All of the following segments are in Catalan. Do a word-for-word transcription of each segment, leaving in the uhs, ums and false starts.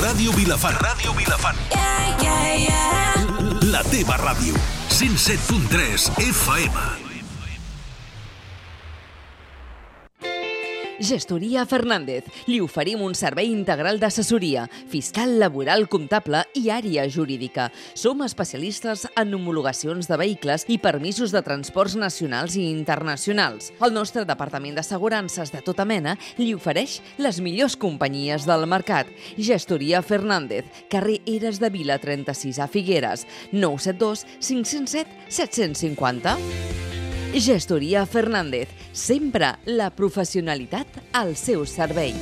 Ràdio Vilafant. Ràdio Vilafant. Yeah, yeah, yeah. La teva ràdio. cent set punt tres F M. Gestoria Fernández. Li oferim un servei integral d'assessoria, fiscal, laboral, comptable i àrea jurídica. Som especialistes en homologacions de vehicles i permisos de transports nacionals i internacionals. El nostre departament d'assegurances de tota mena li ofereix les millors companyies del mercat. Gestoria Fernández, carrer Eres de Vila trenta-sis a Figueres, nou set dos cinc zero set set cinc zero. Gestoria Fernández, sempre la professionalitat al seu servei.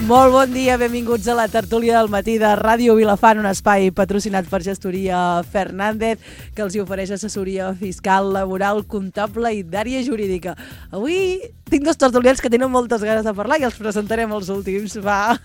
Molt bon dia, benvinguts a la tertúlia del matí de Ràdio Vilafant, un espai patrocinat per Gestoria Fernández, que els hi ofereix assessoria fiscal, laboral, comptable i d'àrea jurídica. Avui tinc dos tertulians que tenen moltes ganes de parlar i els presentarem els últims. Va.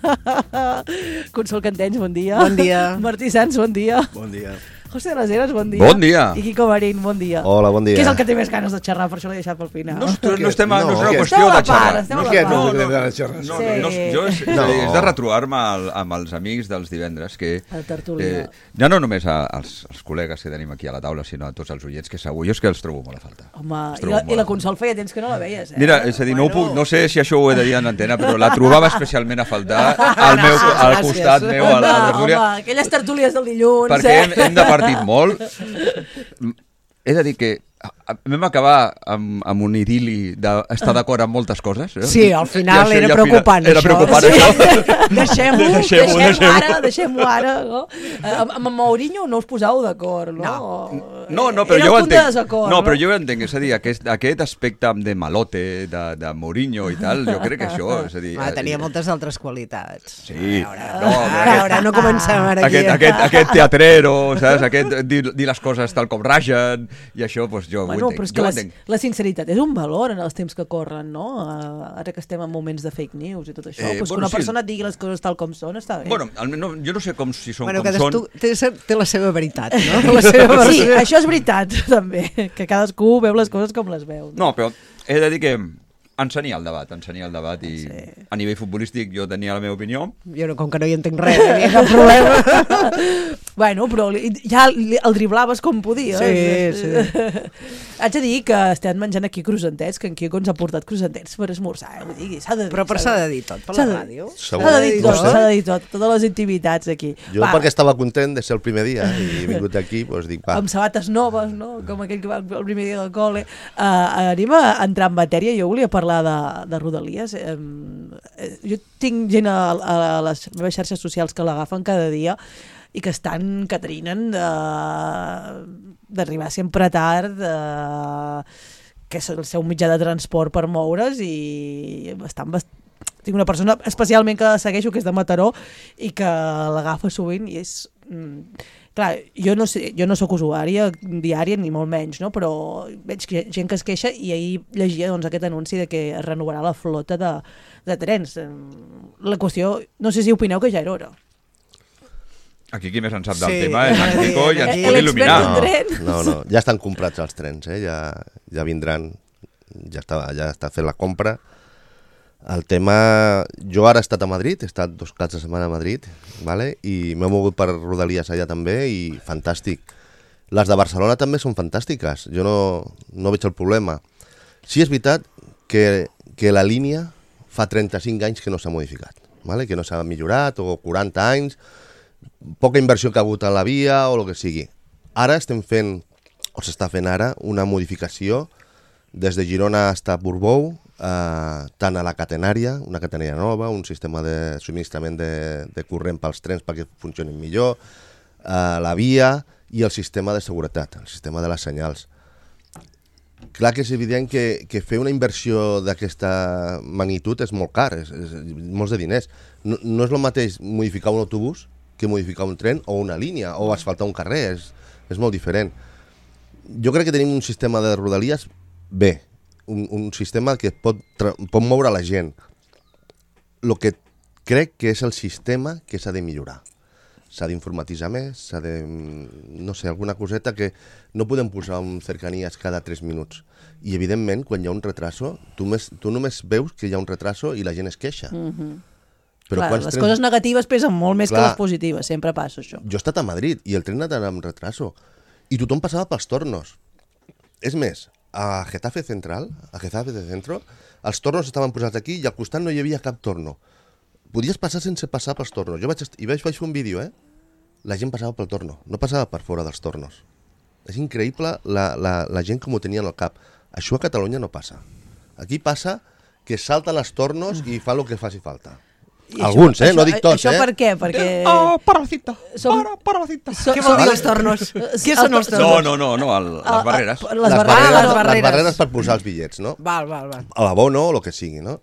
Consol Cantenys, bon dia. Bon dia. Martí Sans, bon dia. Bon dia. José de les Heras, bon dia. Bon dia. I Quico Marín, bon dia. Hola, bon dia. Qui és el que té més ganes de xerrar? Per això l'he deixat pel final. No, no, no, estem, no, no és una que- qüestió de xerrar. Estem a No, la Què part. no, no, no, no, no, xerrar? no, Sí. no, jo és, No. és de retrobar-me al, amb els amics dels divendres, que El tertulià. eh, ja no només a, als, als col·legues que tenim aquí a la taula, sinó a tots els oients, que segur, jo és que els trobo molt a falta. Home, Els i trobo la, molt i la a falta. Consol feia temps que no la veies, eh? Mira, és a dir, no, ho puc, no sé si això ho he de dir en antena, però la trobava especialment a faltar al, meu, al Gràcies. costat meu, a la, a la Home, tertúlia, home, aquelles tertúlies del dilluns, perquè eh? hem, hem departit molt. He de dir que a- a- vam acabar amb, amb un idili d'estar d'acord amb moltes coses. Eh? Sí, al final I això era ja preocupant, Era això. preocupant, Sí. això. Deixem-ho, Deixem-ho, deixem-ho deixem-ho. ara, deixem-ho ara. No? Eh, Amb, amb Mourinho no us posàveu d'acord, no? No, no, però Era jo ho el punt de entenc. desacord, No, però jo ho entenc, és a dir, aquest, aquest aspecte de malote, de, de Mourinho i tal, jo crec que això, és a dir... Ah, tenia moltes altres qualitats. Sí, A veure, no, a però veure, no comencem ara aquí. aquest, aquest, aquest teatrero, saps? Aquest dir, dir les coses tal com ragen, i això, doncs jo Bueno, ho però entenc. és que Jo ho la, entenc. la sinceritat és un valor en els temps que corren, no? Uh, ara que estem en moments de fake news i tot això, Eh, eh, pues bueno, que una sí. persona et digui les coses tal com són, està bé. Bueno, almenys no, jo no sé com si són Bueno, com són. cadascú té, té la seva veritat, no? La seva Sí, versió. això és veritat, també, que cadascú veu les coses com les veu. No, però he de dir que encenia el debat, encenia el debat i Sí. a nivell futbolístic jo tenia la meva opinió. Jo, no, com que no hi entenc res, no hi ha cap problema. Bueno, però li- ja li- el driblaves com podies. Sí, sí. Haig de dir que estem menjant aquí croissantets, que en Quico ens ha portat croissantets per esmorzar, eh? Vull dir, s'ha de dir. Però per s'ha de dir tot, per S'ha la de- ràdio. Segur. S'ha de dir tot, Vostè? s'ha de dir tot, totes les intimitats aquí. Jo perquè estava content de ser el primer dia i he vingut aquí, doncs dic, va. Amb sabates noves, no? Com aquell que va el primer dia del col·le. Uh, anem a entrar en matèria. Jo volia parlar de, de Rodalies. Um, jo tinc gent a, a les meves xarxes socials que l'agafen cada dia i que estan, que trinen d'arribar sempre tard, de, que és el seu mitjà de transport per moure's i estan bast... Tinc una persona especialment que segueixo, que és de Mataró, i que l'agafa sovint i és... Mm, clar, jo no sé, jo no sóc usuària diària ni molt menys, no? Però veig que gent que es queixa i ahir llegia doncs, aquest anunci de que es renovarà la flota de, de trens. La qüestió, no sé si opineu que ja era hora. Aquí qui més en sap del Sí, tema és en sí, Quico i ens sí. pot L'expert il·luminar. en tren. No, no, ja estan comprats els trens, eh? ja, ja vindran, ja està, ja està fet la compra. El tema... Jo ara he estat a Madrid, he estat dos caps de setmana a Madrid, vale? I m'he mogut per Rodalies allà també i fantàstic. Les de Barcelona també són fantàstiques, jo no, no veig el problema. Sí és veritat que, que la línia fa trenta-cinc anys que no s'ha modificat, vale? Que no s'ha millorat, o quaranta anys, poca inversió que ha hagut a la via o el que sigui. Ara estem fent, o s'està fent ara, una modificació des de Girona fins a Portbou, eh, tant a la catenària, una catenària nova, un sistema de subministrament de, de corrent pels trens perquè funcionin millor, eh, la via i el sistema de seguretat, el sistema de les senyals. Clar que és evident que, que fer una inversió d'aquesta magnitud és molt car, és, és, molts de diners. No, no és el mateix modificar un autobús que modificar un tren o una línia o asfaltar un carrer, és, és molt diferent. Jo crec que tenim un sistema de Rodalies bé, un, un sistema que pot, pot moure la gent. el que crec que és el sistema que s'ha de millorar. S'ha d'informatitzar més, s'ha de... no sé, alguna coseta que no podem posar un cercanies cada tres minuts. I, evidentment, quan hi ha un retraso, tu, més, tu només veus que hi ha un retraso i la gent es queixa. Mm-hmm. Però Clar, les trens... coses negatives pesen molt més Clar. que les positives, sempre passa això. Jo he estat a Madrid i el tren anava amb retraso i tothom passava pels tornos. És més, a Getafe Central, a Getafe de Centro, els tornos estaven posats aquí i al costat no hi havia cap torno. Podies passar sense passar pels tornos. Jo vaig, est... I vaig, vaig fer un vídeo, eh? La gent passava pel torno, no passava per fora dels tornos. És increïble la, la, la gent com ho tenia al cap. Això a Catalunya no passa. Aquí passa que salten els tornos i fan el que faci falta. I Alguns, això, eh? No dic tots, això eh? Això per què? Perquè... Oh, para la cita, Som- para, para la cita. Som- Què vol dir som- els tornos? Què el són to- els No, tornos? no, no, no el, les barreres. Les barreres. barreres, les les barreres. barreres per posar els bitllets, no? Val, val, val. A l'abono o el que sigui, no?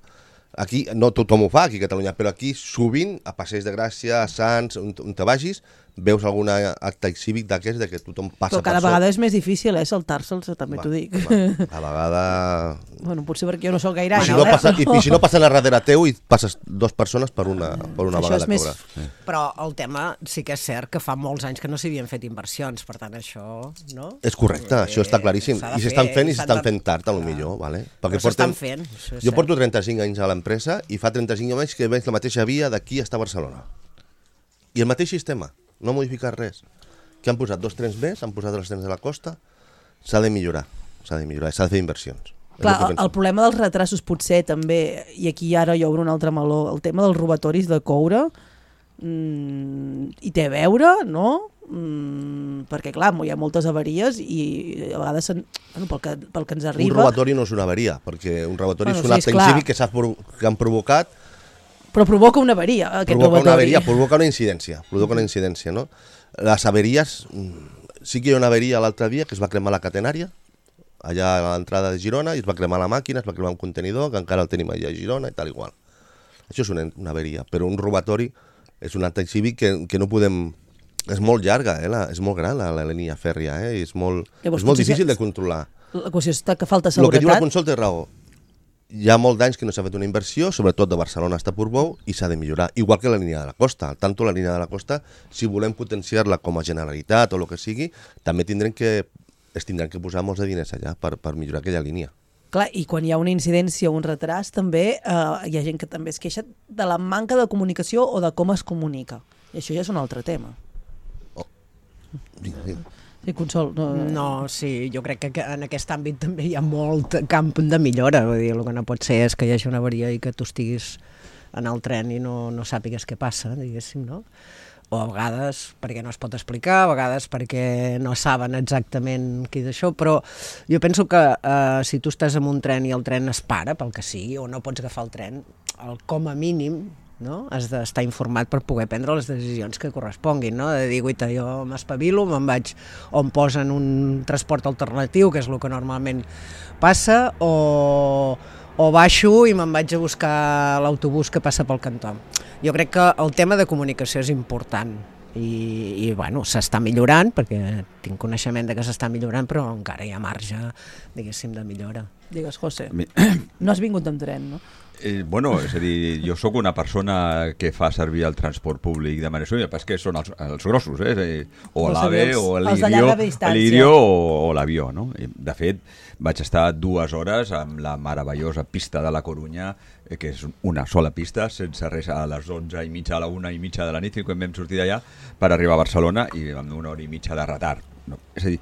Aquí, no tothom ho fa aquí a Catalunya, però aquí sovint, a Passeig de Gràcia, a Sants, on, on te vagis, veus algun acte cívic d'aquests de que tothom passa Però cada per vegada és més difícil, eh, saltar-se'ls, també t'ho dic. Va, a vegada... Bueno, potser perquè jo no sóc gaire I si, àgil, no eh? passa, i, I si no passen a darrere teu i passes dues persones per una, per una Això vegada és més- a cobrar. Però el tema sí que és cert que fa molts anys que no s'havien fet inversions, per tant això, no? És correcte, això està claríssim. s'ha de I s'estan fer, fent i s'han s'estan de- fent tard, a lo millor, vale? Però s'estan fent, això és Jo cert. porto trenta-cinc anys a l'empresa i fa trenta-cinc anys que veig la mateixa via d'aquí fins a Barcelona. I el mateix sistema, no ha modificat res. Que han posat dos trens més, han posat els trens de la costa, s'ha de millorar, s'ha de millorar, s'ha de fer inversions. És Clar, el que el, penso. el problema dels retrasos potser també, i aquí ara jo obro un altre meló, el tema dels robatoris de coure, mm, hi té a veure, no? Mm, perquè clar, hi ha moltes avaries i a vegades, sen, bueno, pel, que, pel que ens Un arriba... robatori no és una avaria, perquè un robatori Bueno, és un sí, acte esclar. incívic que, s'ha pro- que han provocat, Però provoca una avaria, aquest provoca robatori. una avaria, provoca una incidència, provoca una incidència, no? Les averies, mm, sí que hi ha una averia l'altre dia que es va cremar la catenària, allà a l'entrada de Girona, i es va cremar la màquina, es va cremar un contenidor, que encara el tenim allà a Girona i tal igual. Això és una, una averia, però un robatori és un acte cívic que, que no podem... És molt llarga, eh? La, és molt gran la, la línia fèrria, eh? És molt, Llavors, és molt potser difícil que- de controlar. La qüestió és que falta El que diu la seguretat. Consol té raó. Hi ha molts d'anys que no s'ha fet una inversió, sobretot de Barcelona fins a Portbou, i s'ha de millorar. Igual que la línia de la costa. Tanto la línia de la costa, si volem potenciar-la com a Generalitat o el que sigui, també tindrem que, es tindran que posar molts de diners allà per, per millorar aquella línia. Clar, i quan hi ha una incidència o un retras, també eh, hi ha gent que també es queixa de la manca de comunicació o de com es comunica. I això ja és un altre tema. Vinga, vinga. Sí, Consol. No, No, sí, jo crec que en aquest àmbit també hi ha molt camp de millora. Vull dir, el que no pot ser és que hi hagi una avaria i que tu estiguis en el tren i no, no sàpigues què passa, diguéssim, no? O a vegades perquè no es pot explicar, a vegades perquè no saben exactament què és això, però jo penso que eh, si tu estàs en un tren i el tren es para, pel que sigui, o no pots agafar el tren, el, com a mínim, no? Has d'estar informat per poder prendre les decisions que corresponguin, no? De dir, guaita, jo m'espavilo, me'n vaig on posen un transport alternatiu, que és el que normalment passa, o, o baixo i me'n vaig a buscar l'autobús que passa pel cantó. Jo crec que el tema de comunicació és important i, i bueno, s'està millorant, perquè tinc coneixement de que s'està millorant, però encara hi ha marge, diguéssim, de millora. digues, José, Mi- no has vingut amb tren, no? Eh, bueno, és a dir, jo sóc una persona que fa servir el transport públic de manera sòlida, però és que són els, els grossos, eh? És a dir, o Els l'AVE, avions, o els de l'Irio, llarga distància. l'Irio o, o l'avió, no? I, de fet, vaig estar dues hores amb la meravellosa pista de la Corunya, eh, que és una sola pista, sense res, a les onze i mitja, a la una i mitja de la nit, quan vam sortir d'allà, per arribar a Barcelona, i amb una hora i mitja de retard. No? És a dir,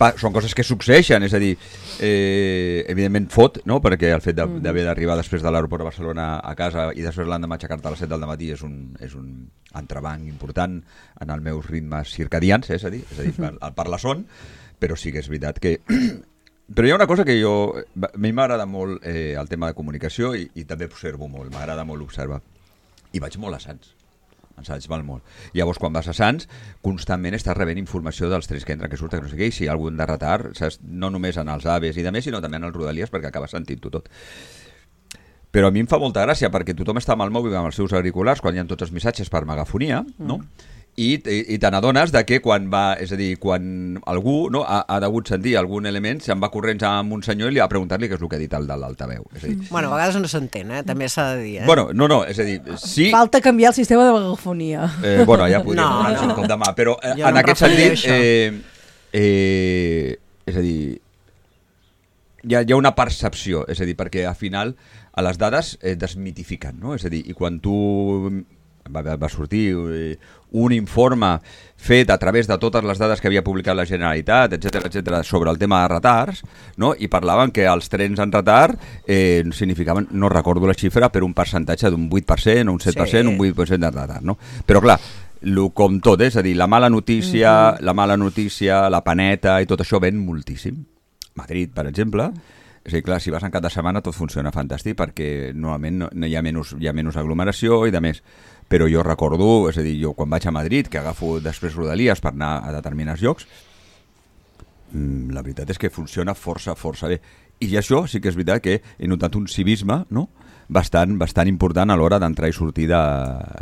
pa, són coses que succeeixen, és a dir, eh, evidentment fot, no? Perquè el fet de- d'haver d'arribar després de l'aeroport de Barcelona a casa i després l'endemà aixecar-te a les set del matí és un, és un entrebanc important en els meus ritmes circadians, eh? és a dir, és a dir per, per la son, però sí que és veritat que... Però hi ha una cosa que jo... A mi m'agrada molt eh, el tema de comunicació i, i també observo molt, m'agrada molt observar. I vaig molt a Sants. En Sants val molt. Llavors, quan vas a Sants, constantment estàs rebent informació dels trens que entren, que surten, que no sé què, i si hi ha algun de retard, saps? No només en els aves i de més, sinó també en els rodalies, perquè acabes sentint-ho tot. Però a mi em fa molta gràcia, perquè tothom està amb el mòbil, amb els seus auriculars, quan hi ha tots els missatges per megafonia, no? i, i, i te n'adones de que quan va, és a dir, quan algú no, ha, ha degut sentir algun element, se'n va corrents amb un senyor i li va preguntar-li què és el que ha dit el de l'altaveu. És a dir, Bueno, a vegades no s'entén, eh? També s'ha de dir, eh? bueno, no, no, és a dir, sí... Falta canviar el sistema de megafonia. Eh, bueno, ja podríem No. donar-nos un cop de mà, però eh, Jo en no em aquest referia a sentit, això. eh, eh, és a dir, hi ha, hi ha una percepció, és a dir, perquè al final a les dades eh, desmitifiquen, no? És a dir, i quan tu va, va sortir eh, un informe fet a través de totes les dades que havia publicat la Generalitat, etcètera, etcètera, sobre el tema de retards, no? I parlaven que els trens en retard eh, significaven, no recordo la xifra, però un percentatge d'un vuit per cent o un set per cent, Sí. un vuit per cent de retard, no? Però clar, lo, com tot, és a dir, la mala notícia, mm-hmm. la mala notícia, la paneta i tot això ven moltíssim. Madrid, per exemple, és a dir, clar, si vas en cap de setmana tot funciona fantàstic perquè normalment no, no hi, ha menys, hi ha menys aglomeració i de més. Però jo recordo, és a dir, jo quan vaig a Madrid, que agafo després Rodalies per anar a determinats llocs, mmm, la veritat és que funciona força, força bé. I això sí que és veritat que he notat un civisme, no?, bastant, bastant important a l'hora d'entrar i sortir de,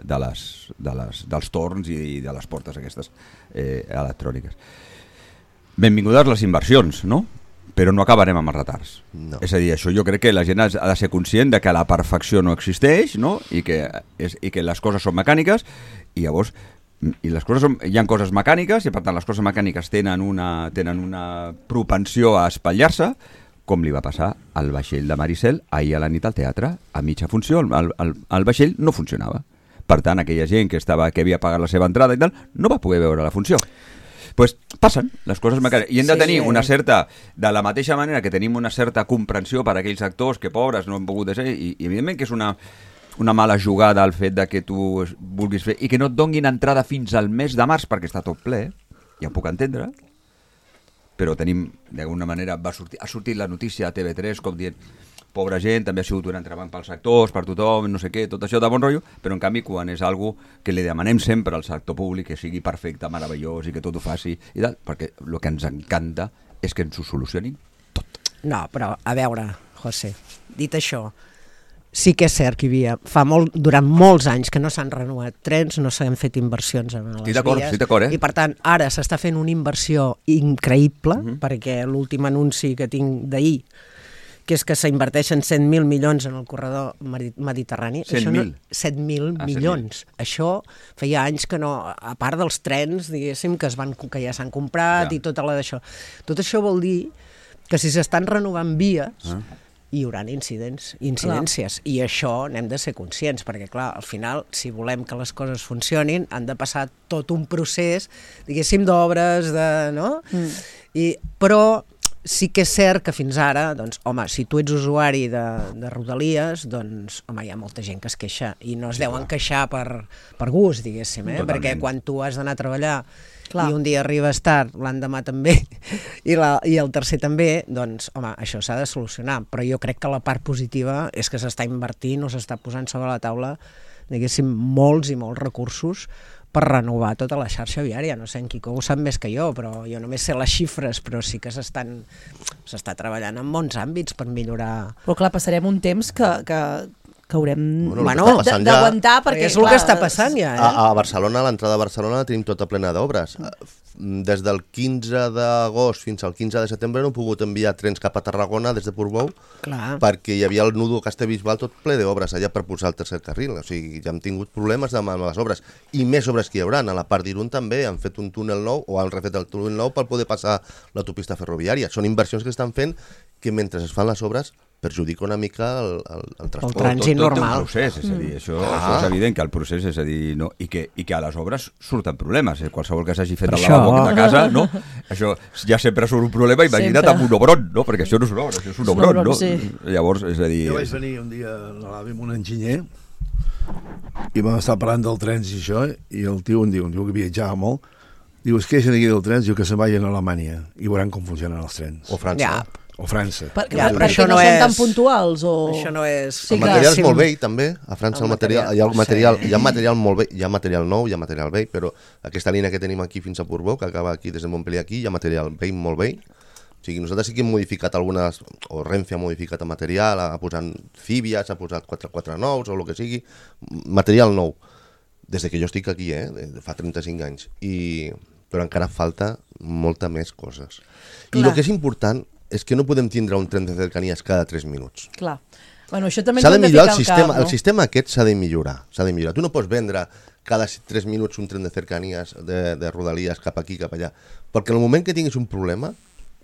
de les, de les, dels torns i de les portes aquestes eh, electròniques. Benvingudes les inversions, no?, però no acabarem amb els retards. No. És a dir, això jo crec que la gent ha de ser conscient de que la perfecció no existeix, no?, i que, és, i que les coses són mecàniques, i llavors i les coses són, hi ha coses mecàniques i per tant les coses mecàniques tenen una, tenen una propensió a espatllar-se, com li va passar al vaixell de Maricel ahir a la nit al teatre, a mitja funció el, el, el vaixell no funcionava. Per tant, aquella gent que estava que havia pagat la seva entrada i tal, no va poder veure la funció. Pues passen les coses mecàniques i hem de Sí, tenir eh. una certa, de la mateixa manera que tenim una certa comprensió per a aquells actors que pobres no han pogut ser, i, i evidentment que és una, una mala jugada el fet de que tu vulguis fer i que no et donguin entrada fins al mes de març perquè està tot ple, ja ho puc entendre, però tenim, d'alguna manera va sortir, ha sortit la notícia a T V tres com dient pobra gent, també ha sigut un entrebanc pels actors, per tothom, no sé què, tot això de bon rotllo, però en canvi quan és algo que li demanem sempre al sector públic que sigui perfecte, meravellós i que tot ho faci i tal, perquè el que ens encanta és que ens ho solucionin tot. No, però a veure, José, dit això, sí que és cert que hi havia, fa molt, durant molts anys que no s'han renovat trens, no s'han fet inversions en les Estic d'acord, vies, estic d'acord, eh? i per tant ara s'està fent una inversió increïble, Mhm. perquè l'últim anunci que tinc d'ahir, que és que s'inverteixen cent mil milions en el corredor medi- mediterrani. cent Això no- mil? set mil Ah, milions. Això feia anys que no, a part dels trens, diguéssim, que, es van, que ja s'han comprat Ja. i tota la d'això. Tot això vol dir que si s'estan renovant vies, Ah. hi haurà incidents, incidències, clar. I això n'hem de ser conscients, perquè clar, al final, si volem que les coses funcionin, han de passar tot un procés, diguéssim, d'obres, de, no? Mm. I, però sí que és cert que fins ara, doncs, home, si tu ets usuari de, de Rodalies, doncs, home, hi ha molta gent que es queixa, i no es sí, deuen clar. queixar per, per gust, diguéssim, eh? Totalment. Perquè quan tu has d'anar a treballar Clar. i un dia arribes tard, l'endemà també, i, la, i el tercer també, doncs, home, això s'ha de solucionar. Però jo crec que la part positiva és que s'està invertint o s'està posant sobre la taula, diguéssim, molts i molts recursos per renovar tota la xarxa viària. No sé, en Quico ho sap més que jo, però jo només sé les xifres, però sí que s'estan s'està treballant en molts àmbits per millorar. Però clar, passarem un temps que, que, que haurem Bueno, el que Bueno, està d- passant ja- d'aguantar perquè... És el que està passant ja, eh? A, a Barcelona, a l'entrada de Barcelona, la tenim tota plena d'obres. Des del quinze d'agost fins al quinze de setembre no hem pogut enviar trens cap a Tarragona des de Portbou Clar. perquè hi havia el nudo Castellbisbal tot ple d'obres allà per posar el tercer carril. O sigui, ja hem tingut problemes amb les obres. I més obres que hi haurà. A la part d'Irun també han fet un túnel nou o han refet el túnel nou per poder passar l'autopista ferroviària. Són inversions que estan fent que mentre es fan les obres perjudica una mica el, el, el transport. trànsit tot, tot té normal. un procés, és a dir, això, Ah. això és evident que el procés és a dir, no, i, que, i que a les obres surten problemes, eh? Qualsevol que s'hagi fet Per el això. lavabo de casa, no? Això ja sempre surt un problema, imagina't Sempre. amb un obron, no? Perquè això no és una obra, això és un És un obron, obron, no? sí. Llavors, és a dir... Jo vaig venir un dia a l'AVE amb un enginyer i vam estar parlant del trens i això, i el tio em diu, un tio que viatjava molt, diu, es queixen aquí del trens, diu que se'n vagin a Alemanya i veuran com funcionen els trens. O França. Ja. O França. Per, Ja, ja, però perquè això no, no són és- tan puntuals o... Això no és... Sí, El clar. material és Sí. molt vell, també. A França El el material, material, hi ha el no sé. material, hi ha material molt vell, hi ha material nou, hi ha material vell, però aquesta línia que tenim aquí fins a Portbou, que acaba aquí des de Montpellier aquí, hi ha material vell, molt vell. O sigui, nosaltres sí que hem modificat algunes, o Renfe ha modificat el material, ha posat Fíbies, ha posat quatre quatre nous o el que sigui, material nou. des de que jo estic aquí, eh, de fa trenta-cinc anys, i, però encara falta molta més coses. I el que és important és que no podem tindre un tren de cercanies cada tres minuts. Clar. Bueno, això també s'ha de millorar el sistema, cap, no? el sistema aquest s'ha de millorar, s'ha de millorar. Tu no pots vendre cada tres minuts un tren de cercanies, de, de rodalies cap aquí, cap allà, perquè en el moment que tinguis un problema...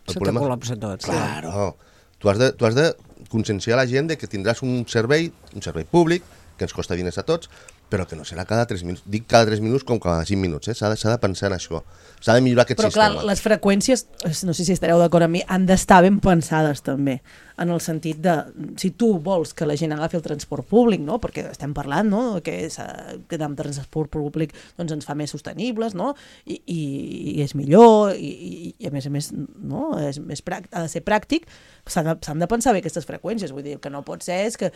El Se problema... te col·lapsa tot. Claro. Tu has de, tu has de conscienciar la gent de que tindràs un servei, un servei públic, que ens costa diners a tots, però que no serà cada tres minuts. Dic cada tres minuts com cada cinc minuts, eh? S'ha de, s'ha de pensar en això. S'ha de millorar aquest però, sistema. Però clar, les freqüències, no sé si estareu d'acord amb mi, han d'estar ben pensades també, en el sentit de, si tu vols que la gent agafi el transport públic, no? Perquè estem parlant, no?, que, és, que amb transport públic doncs, ens fa més sostenibles, no?, i, i, i és millor, i, i, i a més a més, no?, és més pràctic, ha de ser pràctic, s'han de, s'han de pensar bé aquestes freqüències, vull dir, que no pot ser és que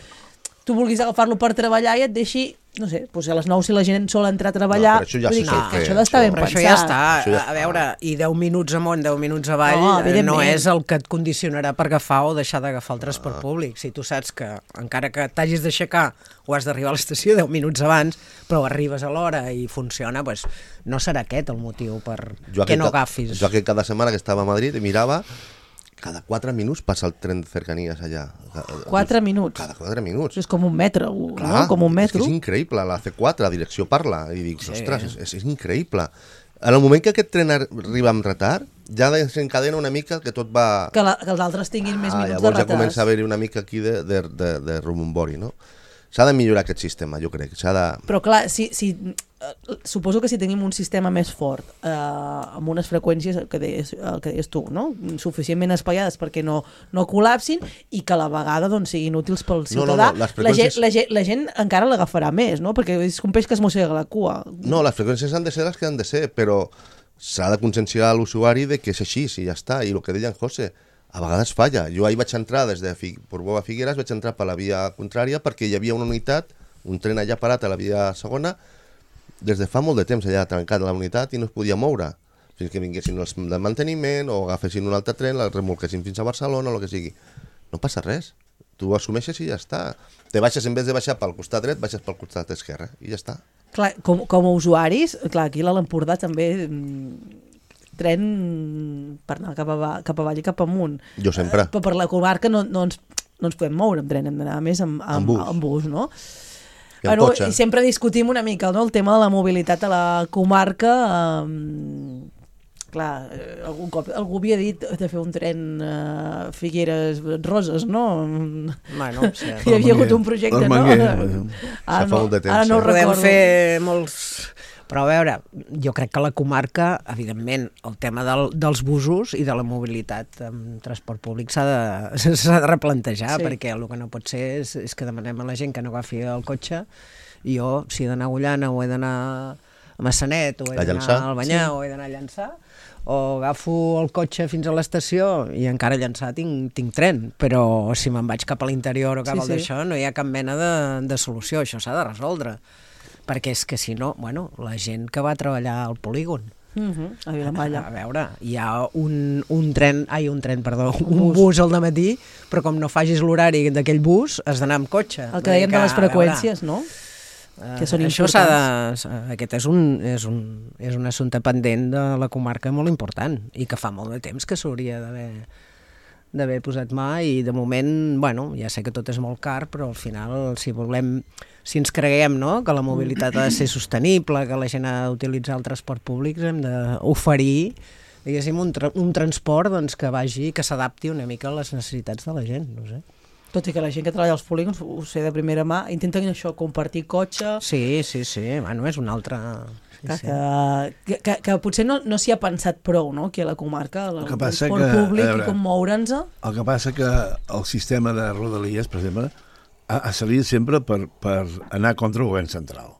tu vulguis agafar-lo per treballar i et deixi, no sé, doncs a les nou si la gent sol entrar a treballar, no, però això ja vull dir se que, sol que fer, això d'estar ben Però pensat. això ja està, Això ja a veure, i deu minuts amunt, deu minuts avall, No, no, evidentment. no és el que et condicionarà per agafar o deixar d'agafar el transport públic. Si tu saps que, encara que t'hagis d'aixecar o has d'arribar a l'estació deu minuts abans, però arribes a l'hora i funciona, doncs no serà aquest el motiu per Jo que no ca- agafis. Jo que cada setmana que estava a Madrid mirava, cada quatre minuts passa el tren de cercanies allà. Quatre minuts. Cada quatre minuts. Això és com un metro, Clar, no? Com un metro. És, que és increïble, la C quatre, la direcció parla, i dic, sí. Ostres, és, és, és increïble. En el moment que aquest tren arriba amb retard, ja desencadena una mica que tot va... Que, la, que els altres tinguin més ah, minuts de llavors retard. ja comença a haver-hi una mica aquí de, de, de, de rebombori, no? S'ha de millorar aquest sistema, jo crec. S'ha de... Però clar, si, si, eh, suposo que si tenim un sistema més fort, eh, amb unes freqüències, el que deies, el que deies tu, no? Suficientment espaiades perquè no, no col·lapsin i que a la vegada doncs, siguin útils pel No, no, ciutadà, no, les la, gent, freqüències- la, gent, la gent encara l'agafarà més, no? Perquè és un peix que es mossega la cua. No, les freqüències han de ser les que han de ser, però s'ha de conscienciar a l'usuari de que és així, si ja està. I el que deia en José, a vegades falla. Jo ahir vaig entrar des de Fig... Portbou a Figueres, vaig entrar per la via contrària perquè hi havia una unitat, un tren allà parat a la via segona, des de fa molt de temps allà trencat la unitat i no es podia moure. Fins que vinguessin els de manteniment o agafessin un altre tren, el remolquessin fins a Barcelona o el que sigui. No passa res. Tu ho assumeixes i ja està. Te baixes, en vez de baixar pel costat dret, baixes pel costat esquerre i ja està. Clar, com, com a usuaris, clar, aquí a l'Empordà també mm, tren per anar cap, a, cap avall i cap amunt. Jo sempre. Eh, però per la comarca no, no, ens, no ens podem moure amb tren, hem d'anar més amb, amb, Amb bus. amb bus, no? I amb cotxe. I sempre discutim una mica, no?, el tema de la mobilitat a la comarca. Um, clar, eh, algun cop algú havia dit de fer un tren uh, Figueres-Roses, no? Bueno, sí. Hi havia hagut un projecte, no? Armenguer. Ara fa no, molt de temps, ara no ho eh? Podem recordo. fer molts... Però a veure, jo crec que la comarca, evidentment, el tema del, dels busos i de la mobilitat amb transport públic s'ha de, s'ha de replantejar, Sí. perquè el que no pot ser és, és que demanem a la gent que no agafi el cotxe i jo, si he d'anar a Agullana o he d'anar a Massanet o he A d'anar Llançà. al Banyà Sí. o he d'anar a Llançà, o agafo el cotxe fins a l'estació i encara a Llançà tinc, tinc tren, però si me'n vaig cap a l'interior o cap Sí, al sí. d'això no hi ha cap mena de, de solució, això s'ha de resoldre. Perquè és que si no, bueno, la gent que va treballar al polígon, Uh -huh, a Vilamalla. a veure, hi ha un, un tren, ai, un tren, perdó, un bus al dematí, però com no facis l'horari d'aquell bus, has d'anar amb cotxe. El Vull que dir dèiem de les a veure, freqüències, no? eh, que són això s'ha de, aquest és un, és, un, és un assumpte pendent de la comarca molt important i que fa molt de temps que s'hauria d'haver d'haver posat mà i de moment, bueno, ja sé que tot és molt car, però al final si volem, si ens creguem, no?, que la mobilitat ha de ser sostenible, que la gent ha d'utilitzar el transport públic, hem d'oferir, diguéssim, un, tra un transport doncs, que vagi, que s'adapti una mica a les necessitats de la gent, no sé. Tot i que la gent que treballa als polígons, ho sé de primera mà, intenten això, compartir cotxe, Sí, sí, sí, bueno, és una altra... Sí, que, sí. que, que, que potser no, no s'hi ha pensat prou, no?, aquí a la comarca, el El que passa transport que, públic a veure, i com moure'ns. El que passa que el sistema de rodalies, per exemple, ha, ha servit sempre per, per anar contra el govern central.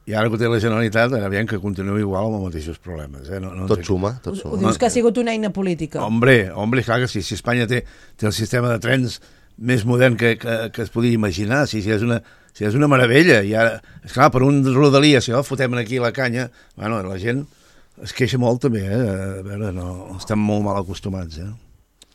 I ara que ho té la Generalitat, aviam que continua igual amb els mateixos problemes. Eh? No, no Tot sé. suma, tot Ho, ho suma. dius que ha sigut una eina política. Hombre, hombre, clar que sí. Si Espanya té, té el sistema de trens més modern que, que, que es podia imaginar, si, si, és una, si és una meravella. I ara, esclar, per un rodalia, si no, fotem aquí la canya, bueno, la gent es queixa molt també, eh? A veure, no, estem molt mal acostumats, eh?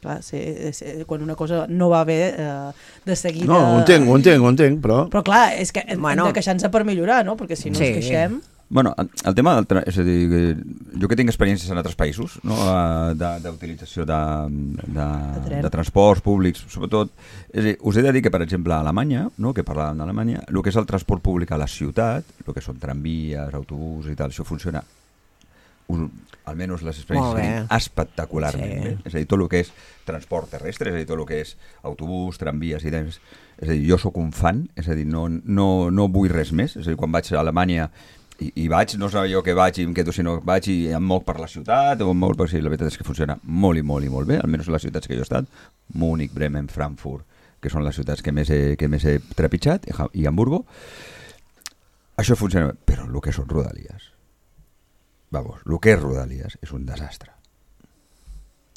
Clar, sí, sí, quan una cosa no va bé, eh, de seguida... No, ho entenc, ho entenc, ho entenc, però... Però clar, és que hem, Bueno. hem de queixar-nos per millorar, no? Perquè si no Sí. ens queixem... Bueno, el tema del... Tra... És a dir, jo que tinc experiències en altres països, no? de, d'utilització de, de, tren. de transports públics, sobretot, és a dir, us he de dir que, per exemple, a Alemanya, no? que parlàvem d'Alemanya, el que és el transport públic a la ciutat, el que són tramvies, autobús i tal, això funciona, un, almenys les experiències que tinc, espectacularment Sí. bé. És a dir, tot el que és transport terrestre, és a dir, tot el que és autobús, tramvies i tal, és a dir, jo sóc un fan, és a dir, no, no, no vull res més, és a dir, quan vaig a Alemanya I, i vaig, no és allò que vaig i em quedo, sinó vaig i em moc per la ciutat o em moc per... Sí, la veritat és que funciona molt i molt i molt bé, almenys les ciutats que jo he estat, Múnich, Bremen, Frankfurt, que són les ciutats que més he, que més he trepitjat, i Hamburgo. Això funciona bé, però el que són Rodalies, vamos, el que és Rodalies és un desastre.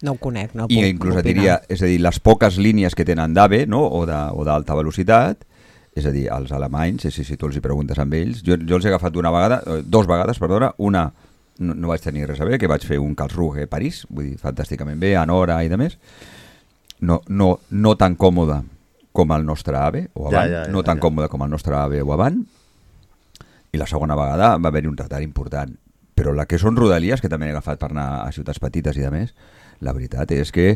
No ho conec, no I puc inclús et opinar. diria, és a dir, les poques línies que tenen d'AVE, no? o d'alta velocitat, és a dir, els alemanys, si, si tu els hi preguntes amb ells, jo, jo els he agafat una vegada, dos vegades, perdona, una no, no vaig tenir res a veure, que vaig fer un Karlsruhe-París, vull dir, fantàsticament bé, en hora i de més, no, no, no tan còmode com el nostre AVE, o avant, Ja, ja, ja, no tan ja. còmode com el nostre AVE o avant, i la segona vegada va haver-hi un retard important. Però la que són Rodalies, que també he agafat per anar a ciutats petites i de més, la veritat és que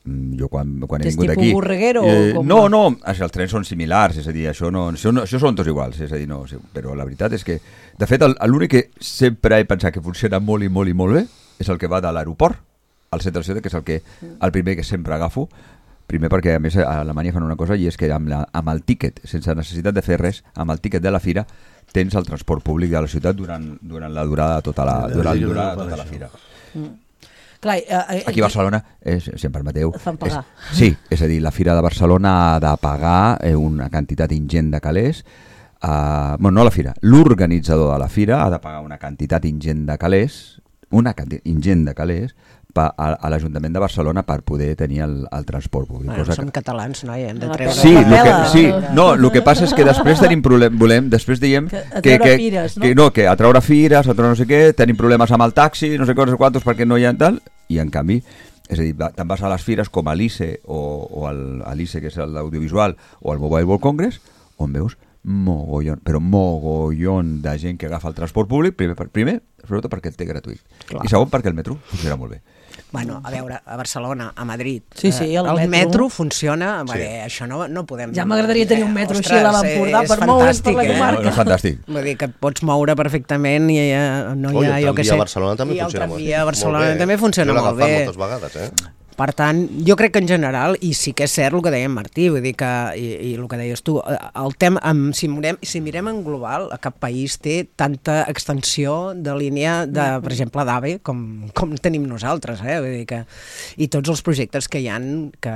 mm, jo quan, quan he És vingut tipus aquí... Borreguero o com no, va? no, els trens són similars, és a dir, això, no, això, no, això són tots iguals, és a dir, no, sí, però la veritat és que, de fet, el- l'únic que sempre he pensat que funciona molt i molt i molt bé és el que va de l'aeroport al centre de la ciutat, que és el, que, el primer que sempre agafo, primer perquè a més a Alemanya fan una cosa i és que amb, la, amb el tíquet, sense necessitat de fer res, amb el tíquet de la fira tens el transport públic de la ciutat durant, durant la durada de tota la, Sí, durant, sí, durant sí, tota la això. fira. Clar, eh, eh, Aquí a Barcelona, és, si em permeteu... Et fan pagar. És, sí, és a dir, la Fira de Barcelona ha de pagar eh, una quantitat ingent de calés. Uh, bueno, no la Fira, l'organitzador de la Fira ha de pagar una quantitat ingent de calés, una quantitat ingent de calés, pa, a, a l'Ajuntament de Barcelona per poder tenir el, el transport públic. Bueno, cosa som que... catalans, no? I hem de La treure... Sí, La lo que, pela. sí, no, el que passa és que després tenim problemes, volem, després diem Que a que, treure que, fires, no? que, no, que a treure fires, a treure no sé què, tenim problemes amb el taxi, no sé què, no sé quantos, perquè no hi ha tal, i en canvi, és a dir, va- te'n vas a les fires com a l'I C E o, o el, a l'I C E, que és l'audiovisual, o el Mobile World Congress, on veus mogollon, però mogollon de gent que agafa el transport públic, primer, per- primer sobretot perquè el té gratuït, Clar. i segon perquè el metro funciona molt bé. Bueno, a veure, a Barcelona, a Madrid, Sí, sí, eh, el el metro. metro funciona, sí. Bé, això no, no podem... Ja m'agradaria tenir un metro així a Ostres, l'Empordà és per moure's per la fantàstic, eh? comarca. No, no és fantàstic. Vull dir que et pots moure perfectament i eh, no Oi, hi ha, el jo què tramvia sé... a Barcelona també I el funciona molt tramvia a molt Barcelona bé. també funciona Jo l'he molt agafat bé. moltes vegades, eh? Per tant, jo crec que en general, i sí que és cert el que deia en Martí, vull dir que, i, i el que deies tu, el tema, amb, si, mirem, si mirem en global, cap país té tanta extensió de línia, de, per exemple, d'AVE, com, com tenim nosaltres, eh? Vull dir que, i tots els projectes que hi han, que,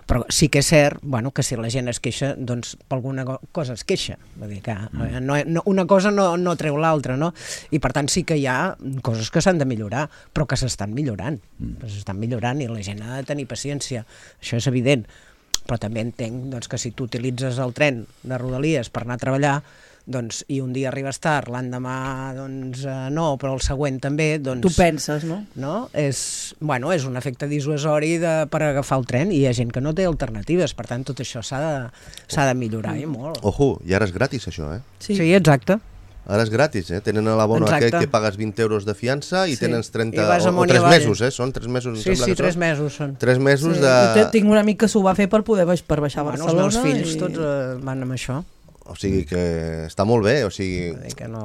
però sí que és cert, bueno, que si la gent es queixa, doncs per alguna cosa es queixa, vull dir que no, no, una cosa no, no treu l'altra, no? I per tant sí que hi ha coses que s'han de millorar, però que s'estan millorant, que s'estan millorant i la gent ha de tenir paciència, això és evident, però també entenc doncs, que si tu utilitzes el tren de Rodalies per anar a treballar, doncs, i un dia arribes tard, l'endemà doncs, eh, no, però el següent també, doncs, Tu penses, no? no? És, bueno, és un efecte dissuasori de, per agafar el tren i hi ha gent que no té alternatives, per tant tot això s'ha de, s'ha de millorar i molt. Ojo, i ara és gratis això, eh? Sí, sí, exacte. Ara és gratis, eh? Tenen a l'abono Exacte. aquell que pagues vint euros de fiança i Sí. tens trenta... I vas o, o amunt i tres avall. mesos, eh? Són tres mesos, em Sí, sembla sí, que tres són. mesos són. Tres mesos Sí. de... Jo te- tinc un amic que s'ho va fer per poder baix, per baixar a Bueno, els Barcelona. meus fills i... tots eh, van amb això. O sigui que està molt bé, o sigui... Vull dir que no...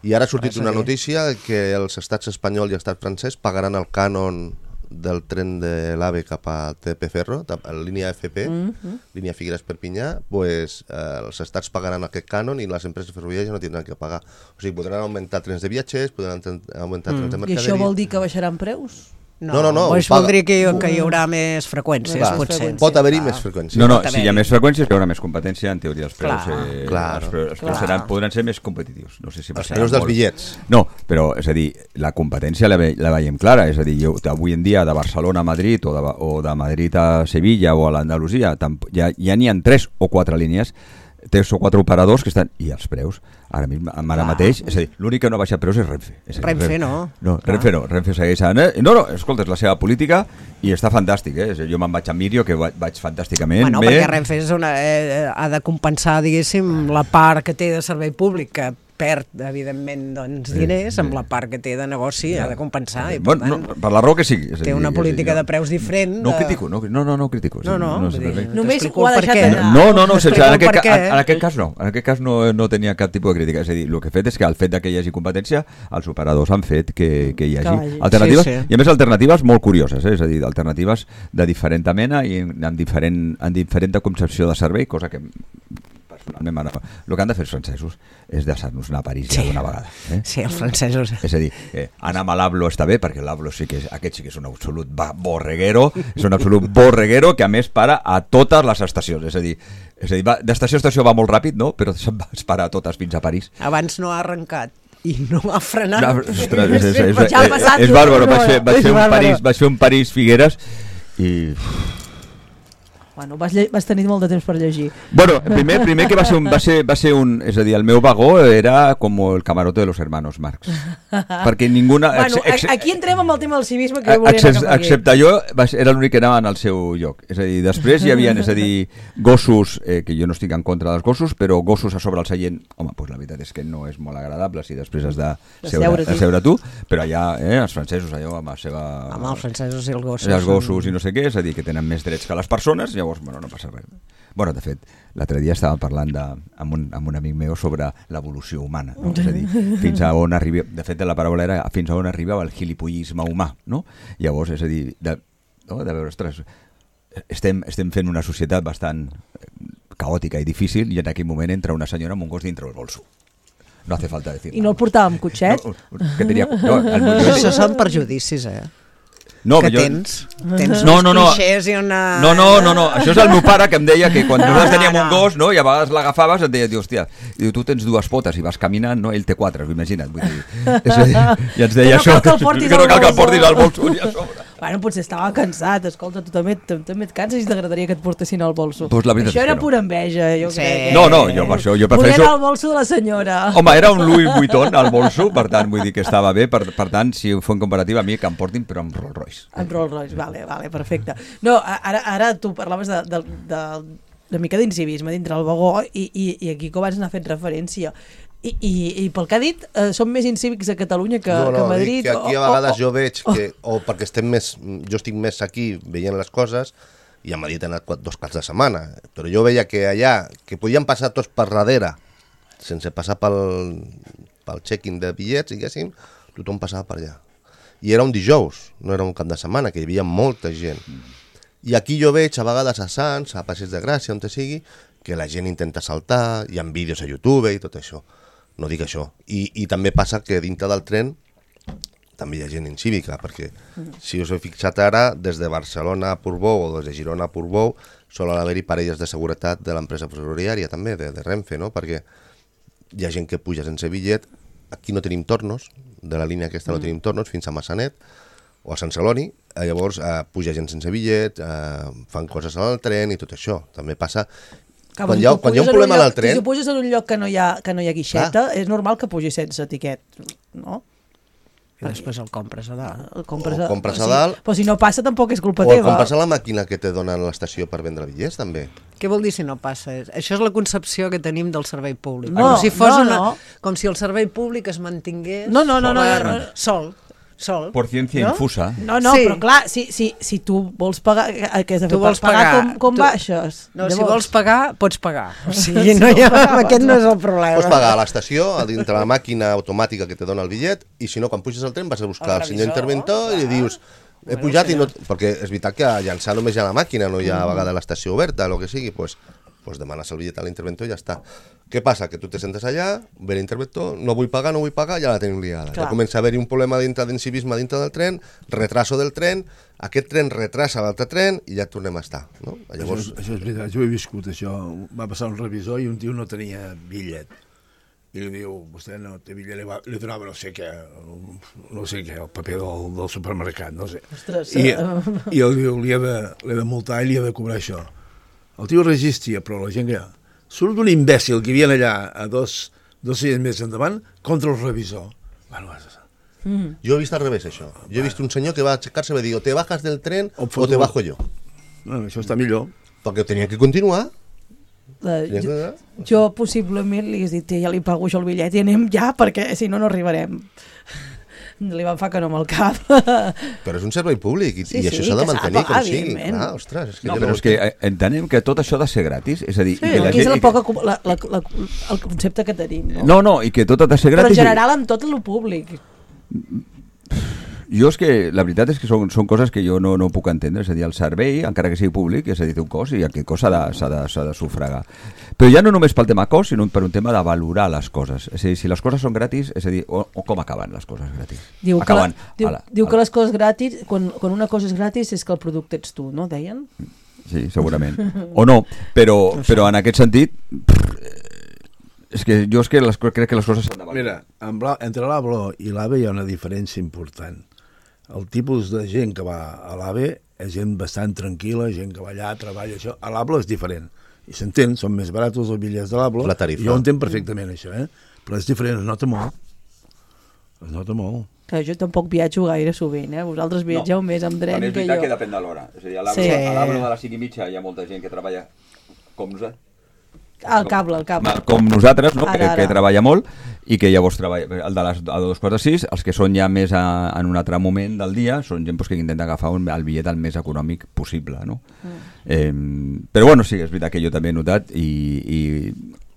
I ara ha sortit res a una dir. notícia que els estats espanyol i l'estat francès pagaran el cànon del tren de l'AVE cap a T P Ferro, a la línia F P, Mhm. línia Figueres-Perpinyà, pues, eh, els estats pagaran aquest cànon i les empreses ferroviàries no tindran que pagar. O sigui, podran augmentar trens de viatgers, podran ten- augmentar trens de I mercaderia... això vol dir que baixaran preus? No, no, no, Doncs ho paga. voldria que, hi- que hi haurà més freqüències, Clar, potser. pot haver-hi Clar. més freqüència. No, no, Pot si hi ha haver-hi. més freqüències hi haurà més competència, en teoria els preus, Clar, eh, clar, els preus, els preus clar. seran, podran ser més competitius. No sé si Els passaran preus dels molt. bitllets. No, però és a dir, la competència la, ve, la veiem clara, és a dir, jo, avui en dia de Barcelona a Madrid o de, o de Madrid a Sevilla o a l'Andalusia tamp- ja, ja n'hi ha tres o quatre línies té quatre operadors que estan... I els preus, ara, ara mateix, és a dir, l'únic que no ha baixat preus és Renfe. És dir, Renfe no. No, Renfe no, Renfe segueix anant. Eh? No, no, escolta, és la seva política i està fantàstic, eh? Jo me'n vaig a Mirio, que vaig fantàsticament bueno, bé. Perquè Renfe és una, eh, ha de compensar, diguéssim, la part que té de servei públic, que perd, evidentment, doncs, diners, amb la part que té de negoci, ha de compensar. I, per, bueno, tant, no, per la raó que sigui. Té una política de preus diferent. No ho critico, no, no, no, no ho critico. No, no, no, dir, només ho ha deixat anar. No, no, no, sense, en, aquest, en, en aquest cas no. En aquest cas no, no tenia cap tipus de crítica. És a dir, el que he fet és que el fet que hi hagi competència, els operadors han fet que, que hi hagi que alternatives, sí, sí. I a més alternatives molt curioses, eh? És a dir, alternatives de diferent mena i amb diferent, amb diferent concepció de servei, cosa que personalment el que han de fer els francesos és deixar-nos anar a París ja d'una vegada. Eh? Sí, els francesos. És a dir, eh, anar amb l'Avlo està bé, perquè l'Avlo sí que és, aquest sí que és un absolut borreguero, és un absolut borreguero que a més para a totes les estacions. És a dir, és a dir d'estació a estació va molt ràpid, no? Però es para a totes fins a París. Abans no ha arrencat i no ha frenat. No, ostres, és, és, és, ja és, és bàrbaro. Vaig fer, vaig, fer un París, vaig fer un París Figueres i... Bueno, vas, vas tenir molt de temps per llegir. Bueno, primer, primer que va ser, un, va, ser, va ser un... És a dir, el meu vagó era com el camarote de los hermanos Marx. Perquè ninguna... Bueno, ex, aquí entrem amb el tema del civisme que volia anar cap aquí. Excepte jo, era l'únic que anava en el seu lloc. És a dir, després hi havia, és a dir, gossos, eh, que jo no estic en contra dels gossos, però gossos a sobre el seient, home, doncs la veritat és que no és molt agradable si després has de seure, de seure tu, però allà, eh, els francesos, allò, amb la seva... Amb els francesos i els gossos. Els gossos i no sé què, és a dir, que tenen més drets que les persones, llavors, bueno, no passa res. Bueno, de fet, l'altre dia estàvem parlant de, amb, un, amb un amic meu sobre l'evolució humana, no? És a dir, fins a on arriba, de fet la paraula era fins a on arribava el gilipollisme humà, no? Llavors, és a dir, de, no? de veure, ostres, estem, estem fent una societat bastant caòtica i difícil i en aquell moment entra una senyora amb un gos dintre el bolso. No hace falta decir. I no el portava amb cotxet? No, que tenia, no, el Això són perjudicis, eh? No, que jo... tens, tens no, no, no. uns clixés i una... No, no, no, no, això és el meu pare que em deia que quan nosaltres teníem un gos, no, i a vegades l'agafaves, et deia, hòstia, i tu tens dues potes i vas caminant, no, ell té quatre, imagina't, vull dir, és a dir, i ens deia això, que no cal que el portis al bolso ni a sobre. Bueno, potser estava cansat, escolta, tu també, també et canses i t'agradaria que et portessin al bolso. Pues això era no. pura enveja, jo sí. crec. No, no, jo per això, jo prefereixo... Volia anar al bolso de la senyora. Home, era un Louis Vuitton al bolso, per tant, vull dir que estava bé, per, per tant, si ho fem comparativa, a mi que em portin, però amb Rolls Royce. Amb Rolls Royce, vale, vale, perfecte. No, ara, ara tu parlaves de, de, de, de mica d'incivisme dintre el vagó i, i, i aquí com abans n'ha fet referència. I, i, i pel que ha dit, eh, som més incívics a Catalunya que, no, no, que a Madrid. Que aquí a vegades o, o, jo veig que, o perquè estem més, jo estic més aquí veient les coses, i a Madrid he anat dos caps de setmana, però jo veia que allà, que podien passar tots per darrere, sense passar pel, pel check-in de bitllets, diguéssim, tothom passava per allà. I era un dijous, no era un cap de setmana, que hi havia molta gent. I aquí jo veig a vegades a Sants, a Passeig de Gràcia, on te sigui, que la gent intenta saltar, hi ha vídeos a YouTube i tot això. No dic això. I, i també passa que dintre del tren també hi ha gent incívica, perquè si us heu fixat ara, des de Barcelona a Portbou o des de Girona a Portbou solen haver-hi parelles de seguretat de l'empresa ferroviària també, de, de Renfe, no? Perquè hi ha gent que puja sense bitllet, aquí no tenim tornos, de la línia aquesta no tenim tornos, fins a Massanet o a Sant Celoni, eh, llavors eh, puja gent sense bitllet, eh, fan coses al tren i tot això. També passa... Que quan hi ha, quan hi ha un problema lloc, al tren... Si puges en un lloc que no hi ha, que no hi ha guixeta, ah. és normal que pugis sense tiquet, no? I després el compres a dalt. El compres a, o compres a sí, dalt... Però si no passa tampoc és culpa o teva. O el compres a la màquina que te donen a l'estació per vendre bitllets, també. Què vol dir si no passa? Això és la concepció que tenim del servei públic. No, com si fos no, una, no. Com si el servei públic es mantingués... No, no, no, no, no, no. Sol. Sol. Por ciencia no? infusa. No, no, sí. Però clar, si, si, si tu vols pagar, què has de fer? Tu vols pagar, pagar com, com tu... baixes? No, Llavors... si vols pagar, pots pagar. O sigui, no hi ha... aquest no és el problema. Pots pagar a l'estació, a dintre la màquina automàtica que te dona el bitllet, i si no, quan puges al tren vas a buscar el, el senyor interventor i li dius he bueno, pujat i no... Perquè és veritat que a llançar només hi ha la màquina, no hi ha a vegades l'estació oberta, el que sigui, doncs pues demanes el bitllet a l'interventor i ja està. Què passa? Que tu te sentes allà, ve l'interventor, no vull pagar, no vull pagar, ja la tenim liada. Clar. Ja comença a haver-hi un problema dintre d'incivisme dintre del tren, retraso del tren, aquest tren retrasa l'altre tren i ja tornem a estar. No? Llavors... Això, és, això és veritat, jo he viscut això. Va passar un revisor i un tio no tenia bitllet. I li diu, vostè no té bitllet, li, va, li donava no sé què, no sé què, el paper del, del supermercat, no sé. Ostres, I, i el diu, li ha, de, li ha de multar i li ha de cobrar això. El tio resistia, però la gent que... surt un imbècil que hi havia allà a dos, dos seients més endavant contra el revisor. Bueno, Mm. Jo he vist al revés, això. Jo he vist un senyor que va aixecar-se i va dir o te bajas del tren o, o te bajo jo. Bueno, això està millor. Perquè tenia que continuar. Uh, jo, jo possiblement li hagués dit ja li pago jo el bitllet i anem ja perquè si no no arribarem. Li van fer que no amb el cap. Però és un servei públic i, Sí, i sí, això s'ha de que s'ha de mantenir pagar, com sigui. evidentment. Ah, ostres, és que No, té però és que eh, entenem que tot això ha de ser gratis. És a dir, Sí, i que la aquí és gent... la poca, la, la, la, el concepte que tenim, no? No, no, i que tot ha de ser Però gratis. en general amb tot el públic. Jo és que, la veritat és que són, són coses que jo no, no puc entendre, és a dir, el servei, encara que sigui públic, és a dir, té un cost i aquest cost s'ha de, s'ha de, s'ha de sufragar. Però ja no només pel tema cost, sinó per un tema de valorar les coses. És a dir, si les coses són gratis, és a dir, o, o com acaben les coses gratis? Diu, que, acaben, la, diu, ala, diu ala. que les coses gratis, quan, quan una cosa és gratis és que el producte ets tu, no? Deien? Sí, segurament. O no, però, però en aquest sentit... És que jo és que les, crec que les coses s'han de valorar. Mira, en blau, entre l'ABLO i l'AVE hi ha una diferència important. El tipus de gent que va a l'AVE és gent bastant tranquil·la, gent que va allà, treballa, això. A l'ABLO és diferent. I s'entén, són més barats els bitllets de l'ABLO. La tarifa. Jo ho entenc perfectament, això, eh? Però és diferent, es nota molt. Es nota molt. Que jo tampoc viatjo gaire sovint, eh? Vosaltres viatgeu no. més amb tren També és que veritat jo. que depèn de l'hora. És a dir, a l'Ablo Sí. de les cinc i mitja hi ha molta gent que treballa com nosaltres. Ah, el cable, el cable. Com nosaltres, no? Ara, que, ara. que treballa molt i que llavors treballa el de les a dos quarts de sis, els que són ja més a, en un altre moment del dia són gent pues, que intenta agafar un, el bitllet el més econòmic possible, no? Mm. Eh, però bueno, sí, és veritat que jo també he notat i, i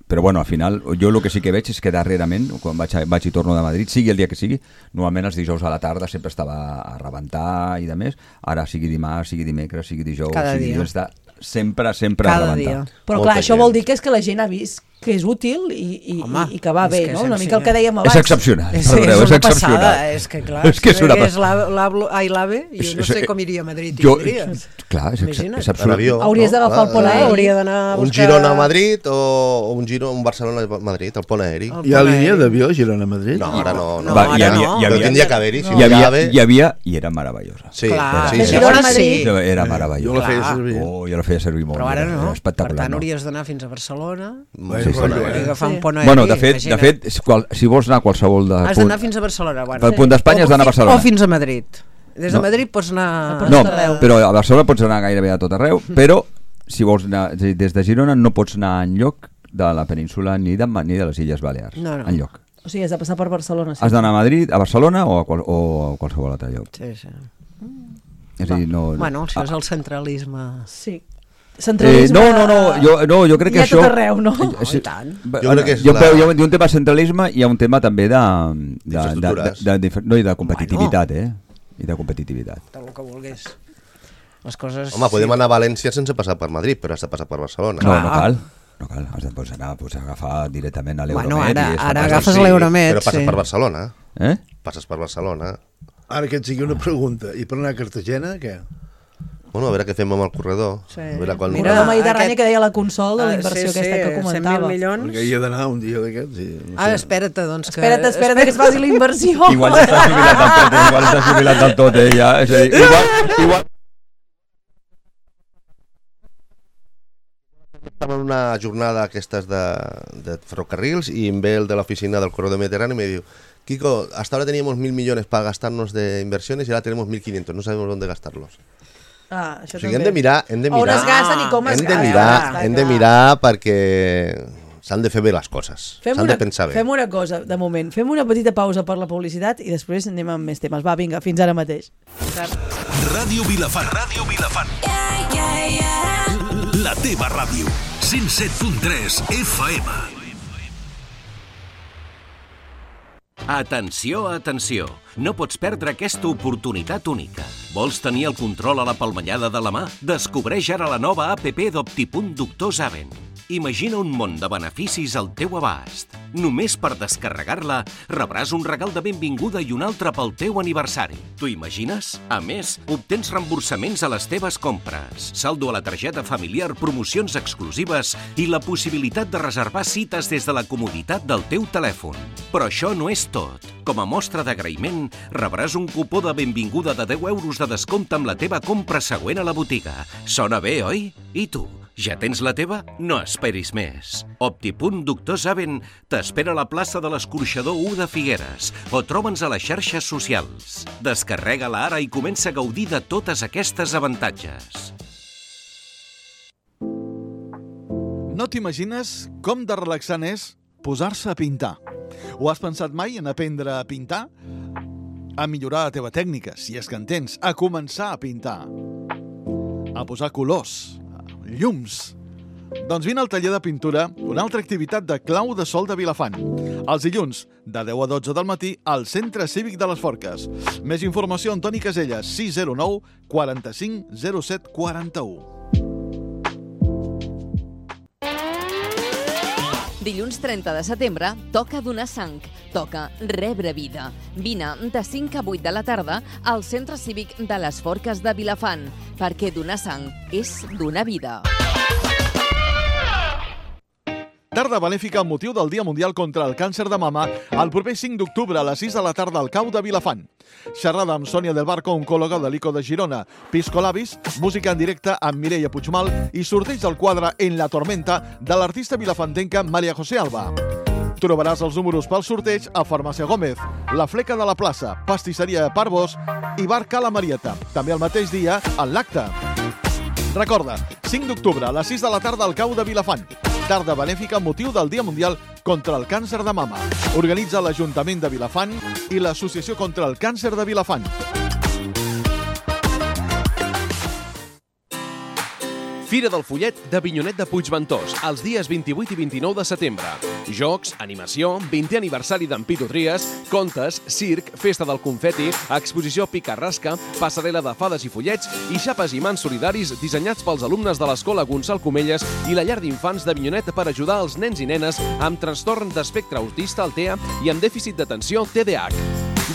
però bueno, al final, jo el que sí que veig és que darrerament, quan vaig, a, vaig i torno de Madrid, sigui el dia que sigui, normalment els dijous a la tarda sempre estava a rebentar i de més, ara sigui dimarts, sigui dimecres, sigui dijous, Cada sigui dia. dilluns, està sempre, sempre Cada a rebentar. dia. Però Molta clar, això gent. vol dir que és que la gent ha vist que és útil i, i, Home, i, i que va és bé, que no? és Una mica el que dèiem És abans. excepcional. És, perdoneu, és una excepcional. passada, és que clar, És que és una és la- l'Ablo- ai, l'AVE, jo És- no és- sé com iria a Madrid i Jo, vindries. clar, és, ex, Imagina't. és En absolut. avió. Hauries d'agafar el pont Ah, aeri. Hauria d'anar a Un buscar... Girona a Madrid o un Giro, un Barcelona a Madrid, el pont aeri. El Hi ha pont línia aeri. d'avió a Girona-Madrid? No, ara no. no. No, Va, ara hi havia, no. hi Però havia, tindria que haver-hi. Si hi havia, ave- hi havia i era meravellosa. Sí, Clar. sí, De sí. Girona a Sí. Madrid. Era Jo meravellosa. la feia Clar. servir. Oh, jo la feia servir molt. Però ara era no, per espectacular. tant no? hauries d'anar fins a Barcelona Molt Sí, sí, sí. sí, i eh? agafar Sí. un pont aeri. Bueno, de fet, de imagina't. fet si, qual, si vols anar a qualsevol de Has d'anar fins a Barcelona. Bueno. Del punt d'Espanya has d'anar a O- Barcelona. O fins a Madrid. Des de No. Madrid pots anar... A No, tot arreu. però a Barcelona pots anar gairebé a tot arreu, però si vols anar, és a dir, des de Girona no pots anar enlloc de la península ni de, ni de les Illes Balears. No, no. Enlloc. O sigui, has de passar per Barcelona. Sí. Has d'anar a Madrid, a Barcelona o a, qual, o a qualsevol altre lloc. Sí, sí. És a dir, no... Bueno, això Ah, és el centralisme. Sí. Eh, Centralisme... no, no, no, jo, no, jo crec Hi que ha això... tot arreu, no? Eh, sí, i tant. va- Jo crec que és hi ha, la- hi ha un- hi ha un tema de centralisme i hi ha un tema també de... de, de, de, Infraestructures. de, de, no, i de competitivitat, eh? I de competitivitat. Tot el que vulguis. Les coses... Home, podem anar a València sense passar per Madrid, però has de passar per Barcelona. No, no Clar. cal. No cal, has de pots anar pots agafar directament a l'Euromed. Bueno, ara- i és ara fantàstic. agafes Sí, l'Euromed, Però passes sí. per Barcelona. Eh? Passes per Barcelona. Ara que et sigui una pregunta. I per anar a Cartagena, què? Bueno, a veure què fem amb el corredor. Sí. A veure quan... Mira, la Mediterrània aquest- que deia la Consol de la Ah, inversió sí, aquesta sí, que cent comentava. mil milions. Perquè hi he d'anar un dia d'aquests. I, no Ah, sé. espera't, doncs que... Espera't, espera't que es faci la inversió. Igual ja estàs jubilat del tot, eh? Igual estàs jubilat del tot, eh? Ja, és a dir, igual, igual... Estava en una jornada aquestes de, de ferrocarrils y en ve el de la oficina del corredor mediterráneo y me dijo, Kiko, hasta ahora teníamos mil millones para gastarnos de inversiones y ahora tenemos mil quinientos, no sabemos dónde gastarlos. Ah, això O sigui, també. hem de mirar, hem de On mirar, es gasten i com es hem de gasten. mirar, Està hem de clar. mirar perquè s'han de fer bé les coses, Fem s'han una, de pensar bé. fem una cosa, de moment. Fem una petita pausa per la publicitat i després anem amb més temes. Va, vinga, fins ara mateix. Ràdio Vilafant. Ràdio Vilafant. La teva ràdio. cent set punt tres F M. Atenció, atenció! No pots perdre aquesta oportunitat única. Vols tenir el control a la palmellada de la mà? Descobreix ara la nova app d'Optipunt Doctor Zaven. Imagina un món de beneficis al teu abast. Només per descarregar-la rebràs un regal de benvinguda i un altre pel teu aniversari. T'ho imagines? A més, obtens reemborsaments a les teves compres, saldo a la targeta familiar, promocions exclusives i la possibilitat de reservar cites des de la comoditat del teu telèfon. Però això no és tot. Com a mostra d'agraïment, rebràs un cupó de benvinguda de deu euros de descompte amb la teva compra següent a la botiga. Sona bé, oi? I tu? Ja tens la teva? No esperis més. Optipunt Doctor Saben t'espera a la plaça de l'Escorxador u de Figueres o troba'ns a les xarxes socials. Descarrega-la ara i comença a gaudir de totes aquestes avantatges. No t'imagines com de relaxant és posar-se a pintar. Ho has pensat mai en aprendre a pintar? A millorar la teva tècnica, si és que en tens, a començar a pintar, a posar colors, llums. Doncs vine al taller de pintura, una altra activitat de Clau de Sol de Vilafant. Els dilluns, de deu a dotze del matí, al Centre Cívic de les Forques. Més informació, Antoni Caselles, sis zero nou, quaranta-cinc, zero set, quaranta-u. Dilluns trenta de setembre toca donar sang, toca rebre vida. Vine de cinc a vuit de la tarda al Centre Cívic de les Forques de Vilafant, perquè donar sang és donar vida. Tarda benèfica amb motiu del Dia Mundial contra el Càncer de Mama el proper cinc d'octubre a les sis de la tarda al Cau de Vilafant. Xerrada amb Sònia del Barco, oncòloga de l'I C O de Girona, Pisco Labis, música en directe amb Mireia Puigmal i sorteig del quadre En la tormenta de l'artista vilafantenca Maria José Alba. Trobaràs els números pel sorteig a Farmàcia Gómez, La Fleca de la Plaça, Pastisseria Parvos i Bar Cala Marieta. També el mateix dia en l'acte. Recorda, cinc d'octubre a les sis de la tarda al Cau de Vilafant. Tarda benèfica amb motiu del Dia Mundial contra el Càncer de Mama. Organitza l'Ajuntament de Vilafant i l'Associació contra el Càncer de Vilafant. Fira del Follet d'Avinyonet de Puigventós, els dies vint-i-vuit i vint-i-nou de setembre. Jocs, animació, vintè aniversari d'en Pitu Trias, contes, circ, festa del confeti, exposició pica-rasca, passarel·la de fades i follets i xapes i mans solidaris dissenyats pels alumnes de l'Escola Gonçal Comelles i la llar d'infants d'Avinyonet per ajudar els nens i nenes amb trastorn d'espectre autista, el T E A, i amb dèficit d'atenció, T D A H.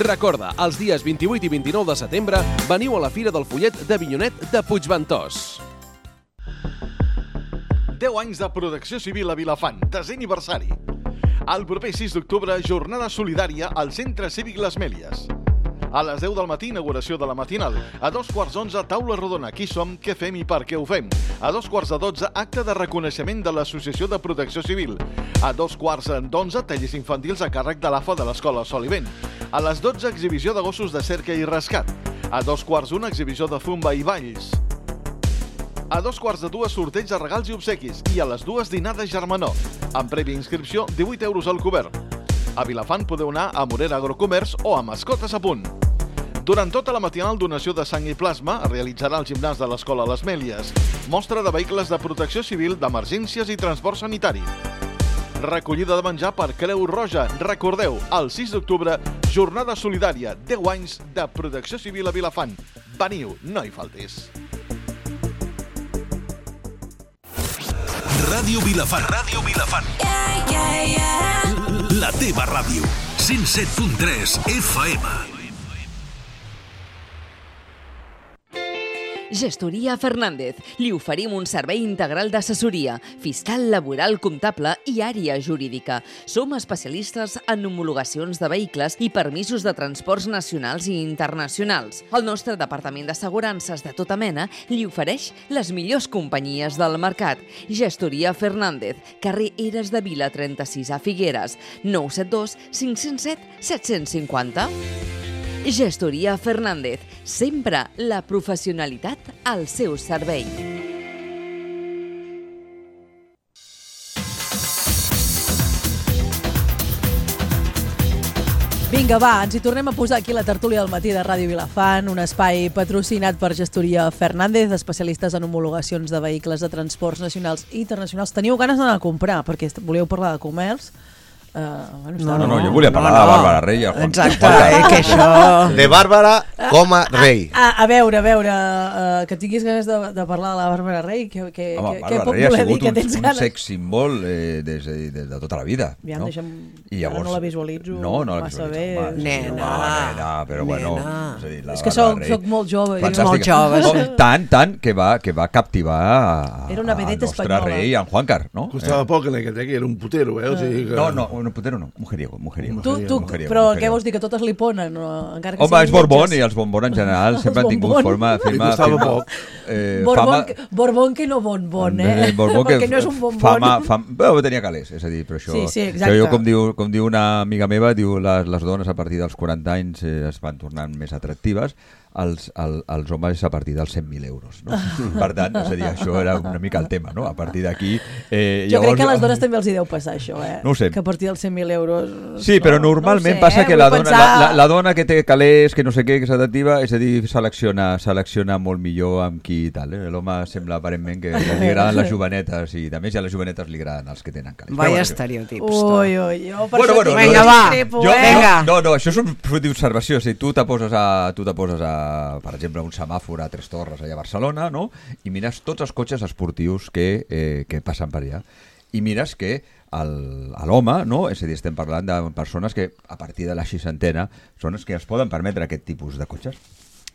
Recorda, els dies vint-i-vuit i vint-i-nou de setembre veniu a la Fira del Follet d'Avinyonet de Puigventós. deu anys de protecció civil a Vilafant, desè aniversari. El proper sis d'octubre, jornada solidària al Centre Cívic Les Mèlies. A les deu del matí, inauguració de la matinal. A dos quarts d'onze, taula rodona. Qui som, què fem i per què ho fem? A dos quarts de dotze, acte de reconeixement de l'Associació de Protecció Civil. A dos quarts d'onze, tallers infantils a càrrec de l'A F A de l'Escola Sol i Vent. A les dotze, exhibició de gossos de cerca i rescat. A dos quarts d'una, exhibició de zumba i balls. A dos quarts de dues, sorteig de regals i obsequis. I a les dues, dinar de germanor. Amb prèvia inscripció, divuit euros al cobert. A Vilafant podeu anar a Morera Agrocomerç o a Mascotes a Punt. Durant tota la matinal, donació de sang i plasma es realitzarà al gimnàs de l'Escola Les Mèlies. Mostra de vehicles de protecció civil, d'emergències i transport sanitari. Recollida de menjar per Creu Roja. Recordeu, el sis d'octubre, jornada solidària, deu anys de protecció civil a Vilafant. Veniu, no hi faltis. Ràdio Vilafant. Ràdio Vilafant. Yeah, yeah, yeah. La teva ràdio. cent set punt tres F M. Gestoria Fernández. Li oferim un servei integral d'assessoria, fiscal, laboral, comptable i àrea jurídica. Som especialistes en homologacions de vehicles i permisos de transports nacionals i internacionals. El nostre departament d'assegurances de tota mena li ofereix les millors companyies del mercat. Gestoria Fernández, carrer Eres de Vila trenta-sis a Figueres, nou set dos cinc zero set set cinc zero. Gestoria Fernández, sempre la professionalitat al seu servei. Vinga, va, ens hi tornem a posar aquí la tertúlia del matí de Ràdio Vilafant, un espai patrocinat per Gestoria Fernández, especialistes en homologacions de vehicles de transports nacionals i internacionals. Teniu ganes d'anar a comprar, perquè volíeu parlar de comerç. Uh, bueno, no, no, no, jo volia parlar no, no. de Bàrbara Rey. Exacte, eh, que això... De Bàrbara com a rei. A, a veure, a veure, uh, que tinguis ganes de, de parlar de la Bàrbara Rey, que, que, Home, que, que pot Rey voler dir que un, tens un ganes. Un sex símbol eh, des, de, des de tota la vida. Aviam, no? deixa'm... I llavors, no la visualitzo no, no la massa visualitzo, bé. home, Nena, home, nena, però bueno... nena. És, a dir, la és que Bàrbara soc, Rey, soc molt jove. fantàstica. Molt jove, no, sí. Tant, tant, que va, que va captivar a, Era una al vedeta nostre espanyola. rei, en Juancar, no? Costava eh? poc en aquest, eh, que era un putero, eh? O sigui que... No, no, no, putero no, mujeriego, mujeriego. Tu, tu, mujeriego, però mujeriego. què vols dir, que totes li ponen? No? Encara que Home, és Borbón, lletges. i els bombons en general sempre han tingut bombons. forma... Li Firma, costava firma, poc. eh, Borbón, fama, que, borbón que no bonbon, eh? Borbó que Perquè no és un bonbon. fama, fama, però tenia calés, és a dir, però això... Sí, sí, això exacte. jo, com diu, com diu una amiga meva, diu les, les dones a partir dels quaranta anys eh, es van tornant més atractives, els, el, els homes a partir dels cent mil euros. No? Per tant, és a dir, això era una mica el tema, no? A partir d'aquí... Eh, Jo llavors, crec que a les dones també els hi deu passar això, eh? No ho sé. Que a partir dels cent mil euros... Sí, però no, normalment no sé, passa eh? que Vull la dona, pensar... la, la, la dona que té calés, que no sé què, que s'atractiva, és a dir, selecciona, selecciona molt millor amb qui i tal. Eh? L'home sembla aparentment que li agraden les jovenetes i a més a les jovenetes li agraden els que tenen calés. Vaya Però, estereotips. Ui, ui, jo per Bueno, això bueno, tinc Vinga, un va. discrepo, Jo, eh? Vinga. no, no, això és un fruit d'observació. Si tu te poses a, tu te poses a, per exemple, un semàfor a Tres Torres allà a Barcelona, no? I mires tots els cotxes esportius que, eh, que passen per allà. I mires que el- a l'home, no? És a dir, estem parlant de persones que a partir de la seixantena són els que es poden permetre aquest tipus de cotxes.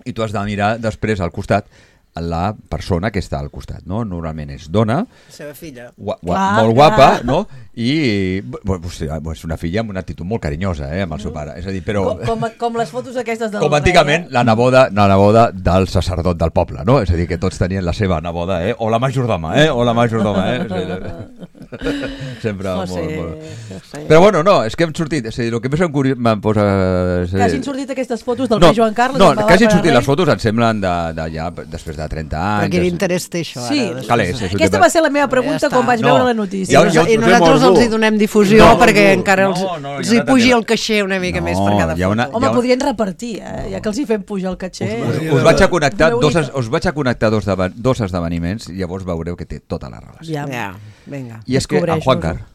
I tu has de mirar després al costat la persona que està al costat, no? Normalment és dona, La seva filla. Gua, gua, Clar, molt clar. guapa, no? I bueno, és una filla amb una actitud molt carinyosa, eh, amb el seu pare. És a dir, però Com, com, com les fotos aquestes del com antigament la neboda, la neboda del sacerdot del poble, no? És a dir, que tots tenien la seva neboda, eh? O la majordoma, eh? O la majordoma, eh? És a dir, sempre No molt, sé, molt... no sé. Però bueno, no, és que hem sortit, és a dir, el que més em, curi... em posa... És a Que dir, hagin sortit aquestes fotos del no, rei Joan Carles no, amb la que hagin Bàrbara sortit Rey. les fotos em semblen de, de ja després de trenta Però anys. quin és- interès té això, Sí, ara? Calés, és un aquesta tema- va ser la meva pregunta Ja està. quan vaig No. veure la notícia. Ja- I, ja- I nosaltres els hi donem difusió No, perquè no, encara els, no, no, els hi hi ha una pugi tele- el caixer una mica No, més per cada hi ha una- foto. Home, Ja- podrien repartir, eh? Ja que els hi fem pujar el caché. Us vaig a connectar Una dos, única. us vaig a connectar dos, deva- dos esdeveniments i llavors veureu que té tota la relació. Ja. Ja, vinga. I és que en Descobreixo-ho. Juan Car,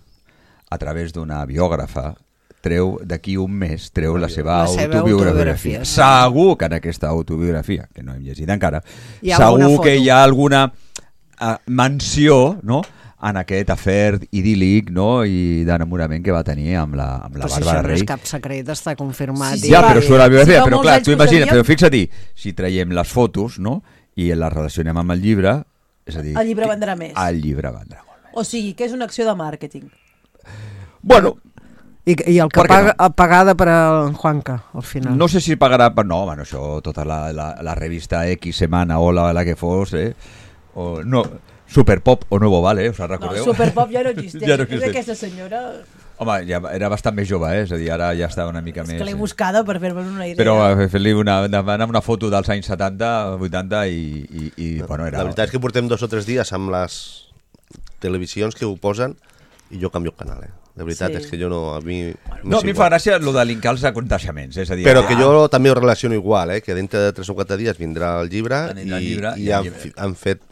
a través d'una biògrafa, treu d'aquí un mes treu la seva La seva autobiografia. autobiografia. Segur que en aquesta autobiografia, que no hem llegit encara, Hi ha alguna segur foto. que hi ha alguna uh, menció, no?, en aquest afer idíl·lic, no?, i d'enamorament que va tenir amb la, amb la Però si Bàrbara això no Rey. és cap secret, està confirmat. Sí, sí, i- Ja, va. però surt la biografia, Sí, fa però molts clar, anys tu que ho imagina, sabíem. però fixa't, si traiem les fotos, no?, i les relacionem amb el llibre, és a dir... El llibre que- vendrà més. El llibre vendrà molt més. O sigui, que és una acció de màrqueting. Bueno, I, I el que Per què paga, no? pagada per al Juanca, al final. no sé si pagarà... per- No, bueno, això, tota la, la, la revista X Semana o la, la que fos, eh? O, no, Superpop o Nuevo Vale, us en No, recordeu? Superpop ja no existeix. Ja no És existeix. aquesta senyora... Home, ja era bastant més jove, eh? És a dir, ara ja està una mica És més... que l'he eh. buscada per fer-me una idea. Però eh, fer-li una, demanar una foto dels anys setanta, vuitanta i, i, i bueno, era... La veritat és que portem dos o tres dies amb les televisions que ho posen i jo canvio el canal, eh? De veritat Sí. és que jo no... A mi... No, a mi em fa gràcia el de linkar els aconteixements, és a dir... Però ah, que jo també ho relaciono igual, eh? Que dintre de tres o quatre dies vindrà el llibre Anirà el i, llibre i i el han, llibre. fi- han fet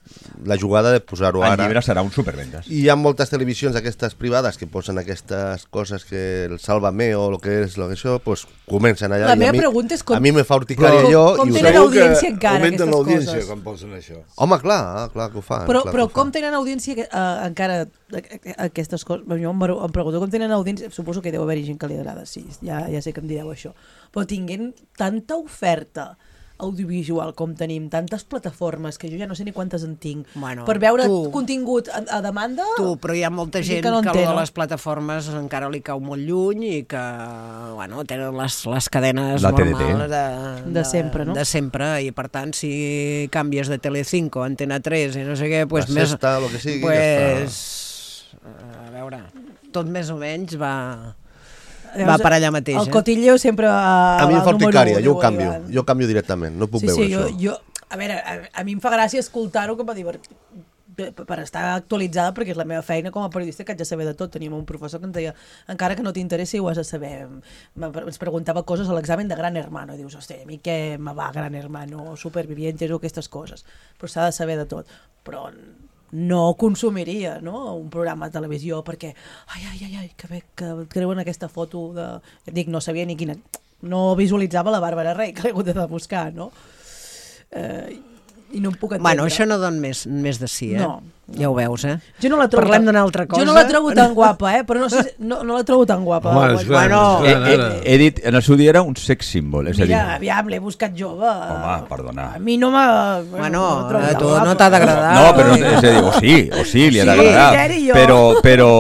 la jugada de posar-ho el ara. llibre serà un supervendes. I hi ha moltes televisions aquestes privades que posen aquestes coses que el Sálvame o el que és lo que això, pues comencen allà. La i meva a mi, pregunta és com- A mi me fa urticària Com- jo com i ho tenen sé. audiència encara, augmenten aquestes l'audiència coses. quan posen això. Home, clar, clar que ho fan. Però, clar però que ho com fan. tenen audiència uh, encara eh, aquestes coses? Jo em, em pregunto com tenen audiència, suposo que deu haver-hi gent que li agrada, sí, ja, ja sé que em direu això, però tinguent tanta oferta audiovisual com tenim, tantes plataformes que jo ja no sé ni quantes en tinc, Bueno, per veure tu- contingut a, a demanda. Tu, però hi ha molta Gent gent que no que, entén, que no? les plataformes encara li cau molt lluny i que bueno, tenen les, les cadenes La T D T. normals de, De sempre, no? De sempre, i per tant, si canvies de Telecinco a Antena tres i no sé què, pues La més... Sexta, lo que sigui, ja pues, a veure, tot més o menys va... Va Llavors, per allà mateix. El eh? cotilleo sempre va, A mi va em fa al número urticària, u, jo ho diu canvio. Ivan. Jo canvio directament, no puc Sí, veure sí, jo, això. jo, a veure, a, a mi em fa gràcia escoltar-ho com a divertit, per estar actualitzada, perquè és la meva feina com a periodista, que haig de saber de tot. Teníem un professor que ens deia, encara que no t'interessi ho has de saber. Me- Ens preguntava coses a l'examen de Gran Hermano, i dius, hòstia, a mi què me va Gran Hermano, Supervivientes o aquestes coses, però s'ha de saber de tot. Però no consumiria, no?, un programa de televisió perquè, ai, ai, ai, ai que bé que treuen aquesta foto de... Dic, no sabia ni quina... No visualitzava la Bàrbara Rey, que l'he hagut de buscar, no? Eh, I no em puc entendre. Bueno, això no don més, més de si, eh? No. Ja ho veus, eh? Jo no la trobo Parlem tan- d'una altra cosa. Jo no la trobo tan guapa, eh? Però no, sé, no, no la trobo tan guapa. Home, és clar, Bueno, és clar, He, ara. he, he dit, en el seu dia era un sex symbol, és a dir... Mira, aviam, l'he buscat jove. Home, perdona. A mi no m'ha... Bueno, la trobo a tan tu guapa. no t'ha d'agradar. No, però és a dir, o sí, o sí, li ha Sí. d'agradar. Criteri jo. Però, però,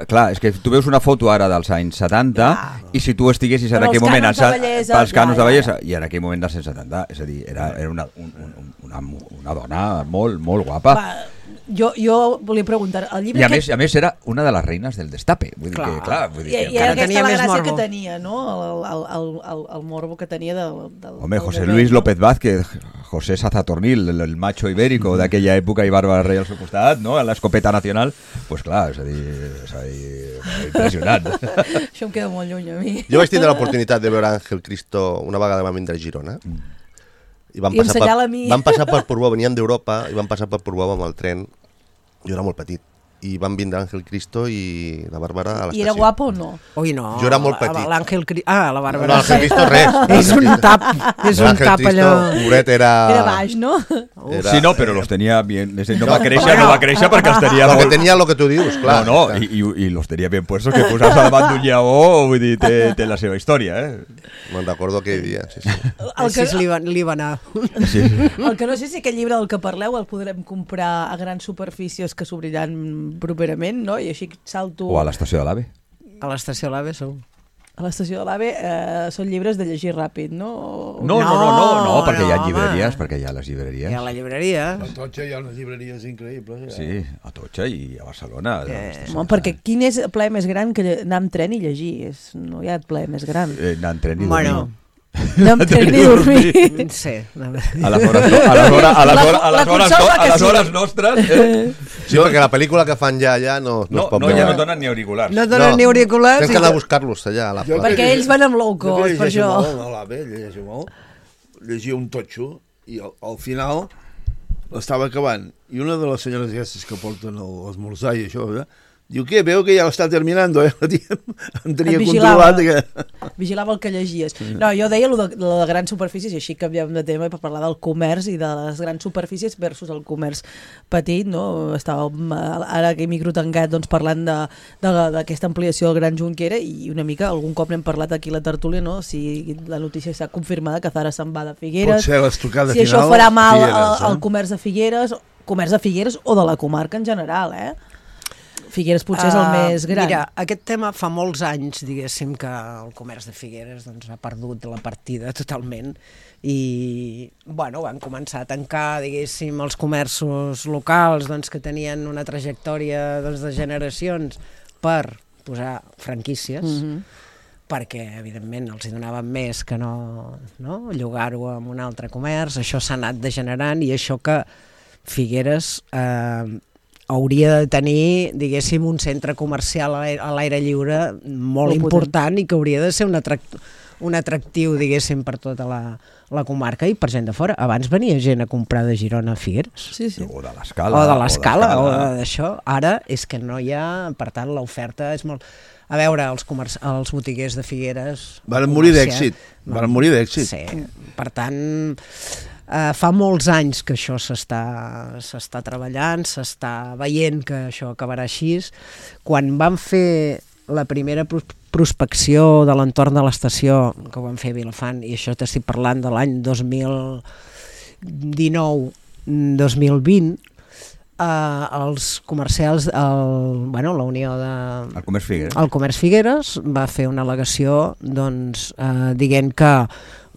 clar, és que tu veus una foto ara dels anys setanta i si tu estiguessis en Però aquell els moment cànons de als- bellesa, pels cànons ja, de ja, bellesa i en aquell moment dels anys setanta, és a dir, era, era una, un, un, una, una dona molt, molt guapa. Va, jo, jo volia preguntar, el llibre I a aquest- més, a més era una de les reines del destape. Vull dir Clar. que, clar, vull dir I, que, i era Encara aquesta tenia la més gràcia morbo. que tenia, no? El, el, el, el, el morbo que tenia del... del Home, del José bebè, Luis no? López Vázquez, José Sazatornil, el, el macho ibérico d'aquella època i Bàrbara Rey al seu costat, no? A l'escopeta nacional, pues clar, és a dir, és a dir impressionant. Això em queda molt lluny a mi. Jo vaig tindre l'oportunitat de veure Ángel Cristo una vegada vam vindre a Girona. I van I passar, ensenyar-la per, a mi. van passar per Portbou, venien d'Europa i van passar per Portbou amb el tren. Jo era molt petit. I van vindre Ángel Cristo i la Bàrbara a l'estació. I era guapa o no? Ui, no. Jo era molt petit. L'Àngel Cri... Ah, la Bàrbara. No, Ángel Cristo res. És un tap, és un Ángel tap Cristo, allò... pobret, era... Era baix, no? Era, Sí, no, però los tenia bien. és a dir, No va No, créixer, bueno. no va créixer perquè els tenia Lo que molt... tenia lo que tu dius, clar. No, no, i, i, i los tenia bien puestos que posar-se davant d'un lleó, vull dir, té, té la seva història, eh? Me'n recordo aquell dia, sí, sí. El Així que, li va, li va anar. Sí. el que no sé si aquest llibre del que parleu el podrem comprar a grans superfícies que s'obriran properament, no? I així salto... O a l'estació de l'AVE. A l'estació l'Ave segur. A l'estació de l'AVE eh, són llibres de llegir ràpid, no? No, no, no, no, no, perquè hi ha no, llibreries, home. perquè hi ha les llibreries. I a la llibreria. A Totxa hi ha unes llibreries increïbles. Ja. Sí, a Totxa i a Barcelona. Eh, doncs, Home, perquè quin és el plaer més gran que lle- anar amb tren i llegir? És, no hi ha plaer més gran. Eh, anar en tren i Bueno. dormir. Anar amb tren i dormir. Sí. A les hores, no, a les hores, a les La- hores, a la les hores, consola a que les sí. hores nostres... Eh? Sí, perquè la pel·lícula que fan ja allà no, no, No, es pot no, veure. ja no donen ni auriculars. No donen ni auriculars. Tens que anar a buscar-los allà a la Jo plaça. Perquè ells van amb low Jo que cost, per llegeixo això. molt, no, l'Ave, llegeixo molt, llegia un totxo i al, al final l'estava acabant i una de les senyores aquestes que porten l'esmorzar i això, eh, diu, què, veu que ja l'està terminant, eh? La tia em tenia Et vigilava. controlat. Que... Vigilava el que llegies. No, jo deia lo de, lo de grans superfícies, i així canviem de tema per parlar del comerç i de les grans superfícies versus el comerç petit, no? Estàvem eh, ara aquí microtancat doncs, parlant de- de- d'aquesta ampliació del Gran Junquera i una mica, algun cop n'hem parlat aquí a la tertúlia, no? Si la notícia està confirmada que Zara se'n va de Figueres, Pot ser l'estocada si final. això farà mal Figueres, al, eh? al comerç de Figueres, comerç de Figueres o de la comarca en general, eh? Figueres potser és el Ah, més gran. Mira, aquest tema fa molts anys, diguéssim, que el comerç de Figueres doncs, ha perdut la partida totalment i, bueno, van començar a tancar, diguéssim, els comerços locals doncs, que tenien una trajectòria doncs, de generacions per posar franquícies, Mhm. perquè, evidentment, els hi donaven més que no, no? llogar-ho amb un altre comerç. Això s'ha anat degenerant i això que Figueres eh, hauria de tenir, diguéssim, un centre comercial a l'aire- a l'aire lliure molt Molt important i que hauria de ser un, atrac un atractiu, diguéssim, per tota la, la comarca i per gent de fora. Abans venia gent a comprar de Girona a Figueres. Sí, sí. O de l'escala. O de l'escala, o d'Escala. d'això. Ara és que no hi ha, per tant, l'oferta és molt... A veure, els, comerç... els botiguers de Figueres... Varen morir comerciant- d'èxit. Varen morir d'èxit. Sí, per tant, eh, fa molts anys que això s'està s'està treballant, s'està veient que això acabarà així. Quan vam fer la primera pros- prospecció de l'entorn de l'estació, que ho vam fer a Vilafant, i això t'estic parlant de l'any dos mil dinou dos mil vint, eh, els comercials, el, bueno, la Unió de... El comerç Figueres. El Comerç Figueres va fer una al·legació doncs, eh, dient que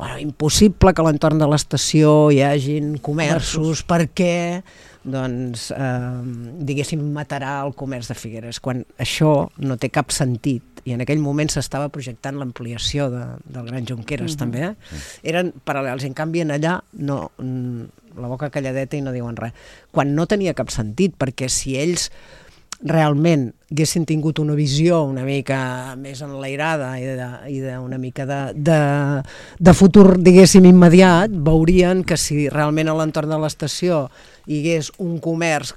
bueno, impossible que a l'entorn de l'estació hi hagin comerços perquè doncs, eh, diguéssim, matarà el comerç de Figueres, quan això no té cap sentit. I en aquell moment s'estava projectant l'ampliació de, del Gran Junqueres, Mhm. també. Eh? Eren paral·lels, i en canvi en allà no, mm, la boca calladeta i no diuen res. Quan no tenia cap sentit, perquè si ells realment haguessin tingut una visió una mica més enlairada i, de, i de, una mica de, de, de futur, diguéssim, immediat, veurien que si realment a l'entorn de l'estació hi hagués un comerç,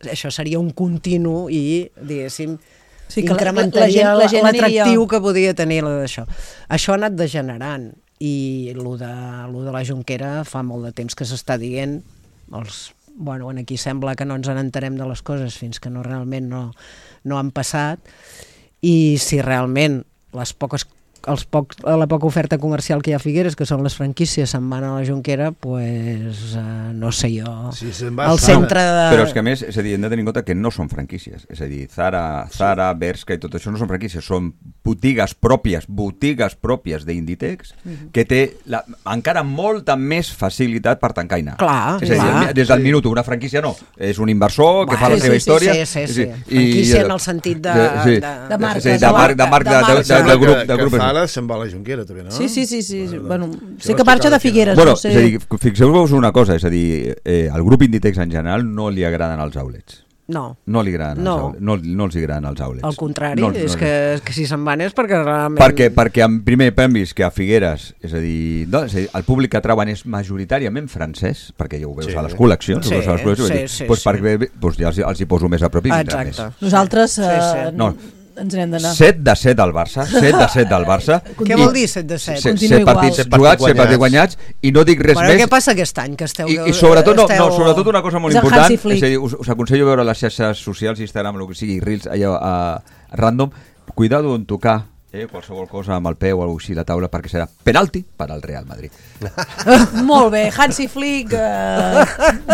això seria un continu i, diguéssim, Sí, que la- incrementaria la- la gent- la gent l'atractiu aniria- que podia tenir d'això. Això ha anat degenerant i lo de, lo de la Jonquera fa molt de temps que s'està dient, els bueno, aquí sembla que no ens n'enterem de les coses fins que no realment no, no han passat, i si realment les poques els poc, la poca oferta comercial que hi ha a Figueres, que són les franquícies, se'n van a la Jonquera, pues, uh, no sé jo, sí, va al centre de... Però és que a més, és a dir, hem de tenir en compte que no són franquícies, és a dir, Zara, Zara, Bershka i tot això no són franquícies, són botigues pròpies, botigues pròpies d'Inditex, uh-huh. que té la, encara molta més facilitat per tancar i anar. Clar, és a dir, clar. Des del minut, una franquícia no, és un inversor que bueno, fa la sí, seva sí, història. Sí, sí, sí, sí. Franquícia en el sentit de... Sí, de, de marca. Sí, de marca, de, marca, de, de, de, de, de grup. De grup. Que Zara se'n va a la Jonquera, també, no? Sí, sí, sí, sí. Bueno, bueno, sé que marxa de Figueres. Bueno, no sé. és a dir, fixeu-vos una cosa, és a dir, eh, al grup Inditex en general no li agraden els outlets. No. No li agraden no. els outlets, no, no els agraden els outlets. Al contrari, no, és no, que, que si se'n van és perquè realment... Perquè, perquè en primer hem vist que a Figueres, és a dir, no, és a dir, el públic que trauen és majoritàriament francès, perquè ja ho veus sí. a les col·leccions, sí, a les col·leccions, sí, sí, doncs sí. perquè doncs ja els, els hi poso més a prop i vindran més. Nosaltres eh, sí, sí. No. ens n'hem d'anar. set de set al Barça, set de set al Barça. Què vol dir set de set? set partits jugats, set partits guanyats, i no dic res bueno, més. Què passa aquest any? Que esteu, I, i sobretot, no, esteu... no, sobretot una cosa molt és important, és a dir, us, us aconsello veure les xarxes socials, Instagram, el que sigui, Reels, allò a, a random, cuidado en tocar eh, qualsevol cosa amb el peu o alguna cosa així a la taula, perquè serà penalti per al Real Madrid. Molt bé, Hansi Flick eh,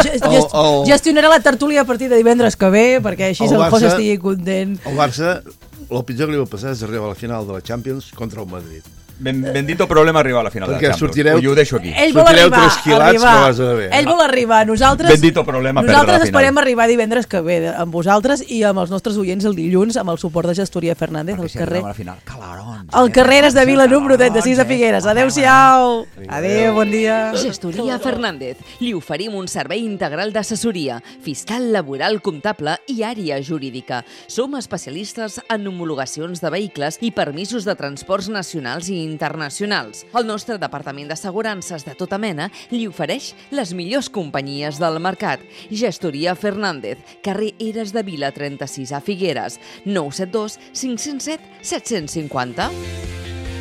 gest, gest, gestionarà la tertúlia a partir de divendres que ve, perquè així el, el José estigui content. El Barça, el pitjor que li va passar és arribar a la final de la Champions contra el Madrid. Ben, bendito problema arribar a la final perquè de la Champions. Sortireu, I ho deixo aquí. Ell vol arribar, arribar. Ell vol arribar. Nosaltres, bendito problema nosaltres esperem arribar divendres que ve amb vosaltres i amb els nostres oients el dilluns amb el suport de Gestoria Fernández al si carrer. Al final, calarons, al carrer de Vila número trenta-sis de Figueres. Adéu-siau. Adéu, bon dia. Gestoria Fernández. Li oferim un servei integral d'assessoria, fiscal, laboral, comptable i àrea jurídica. Som especialistes en homologacions de vehicles i permisos de transports nacionals i internacionals. El nostre departament d'assegurances de tota mena li ofereix les millors companyies del mercat. Gestoria Fernández, carrer Eres de Vila trenta-sis a Figueres, nou set dos cinc zero set set cinc zero.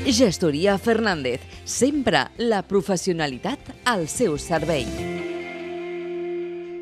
Gestoria Fernández, sempre la professionalitat al seu servei.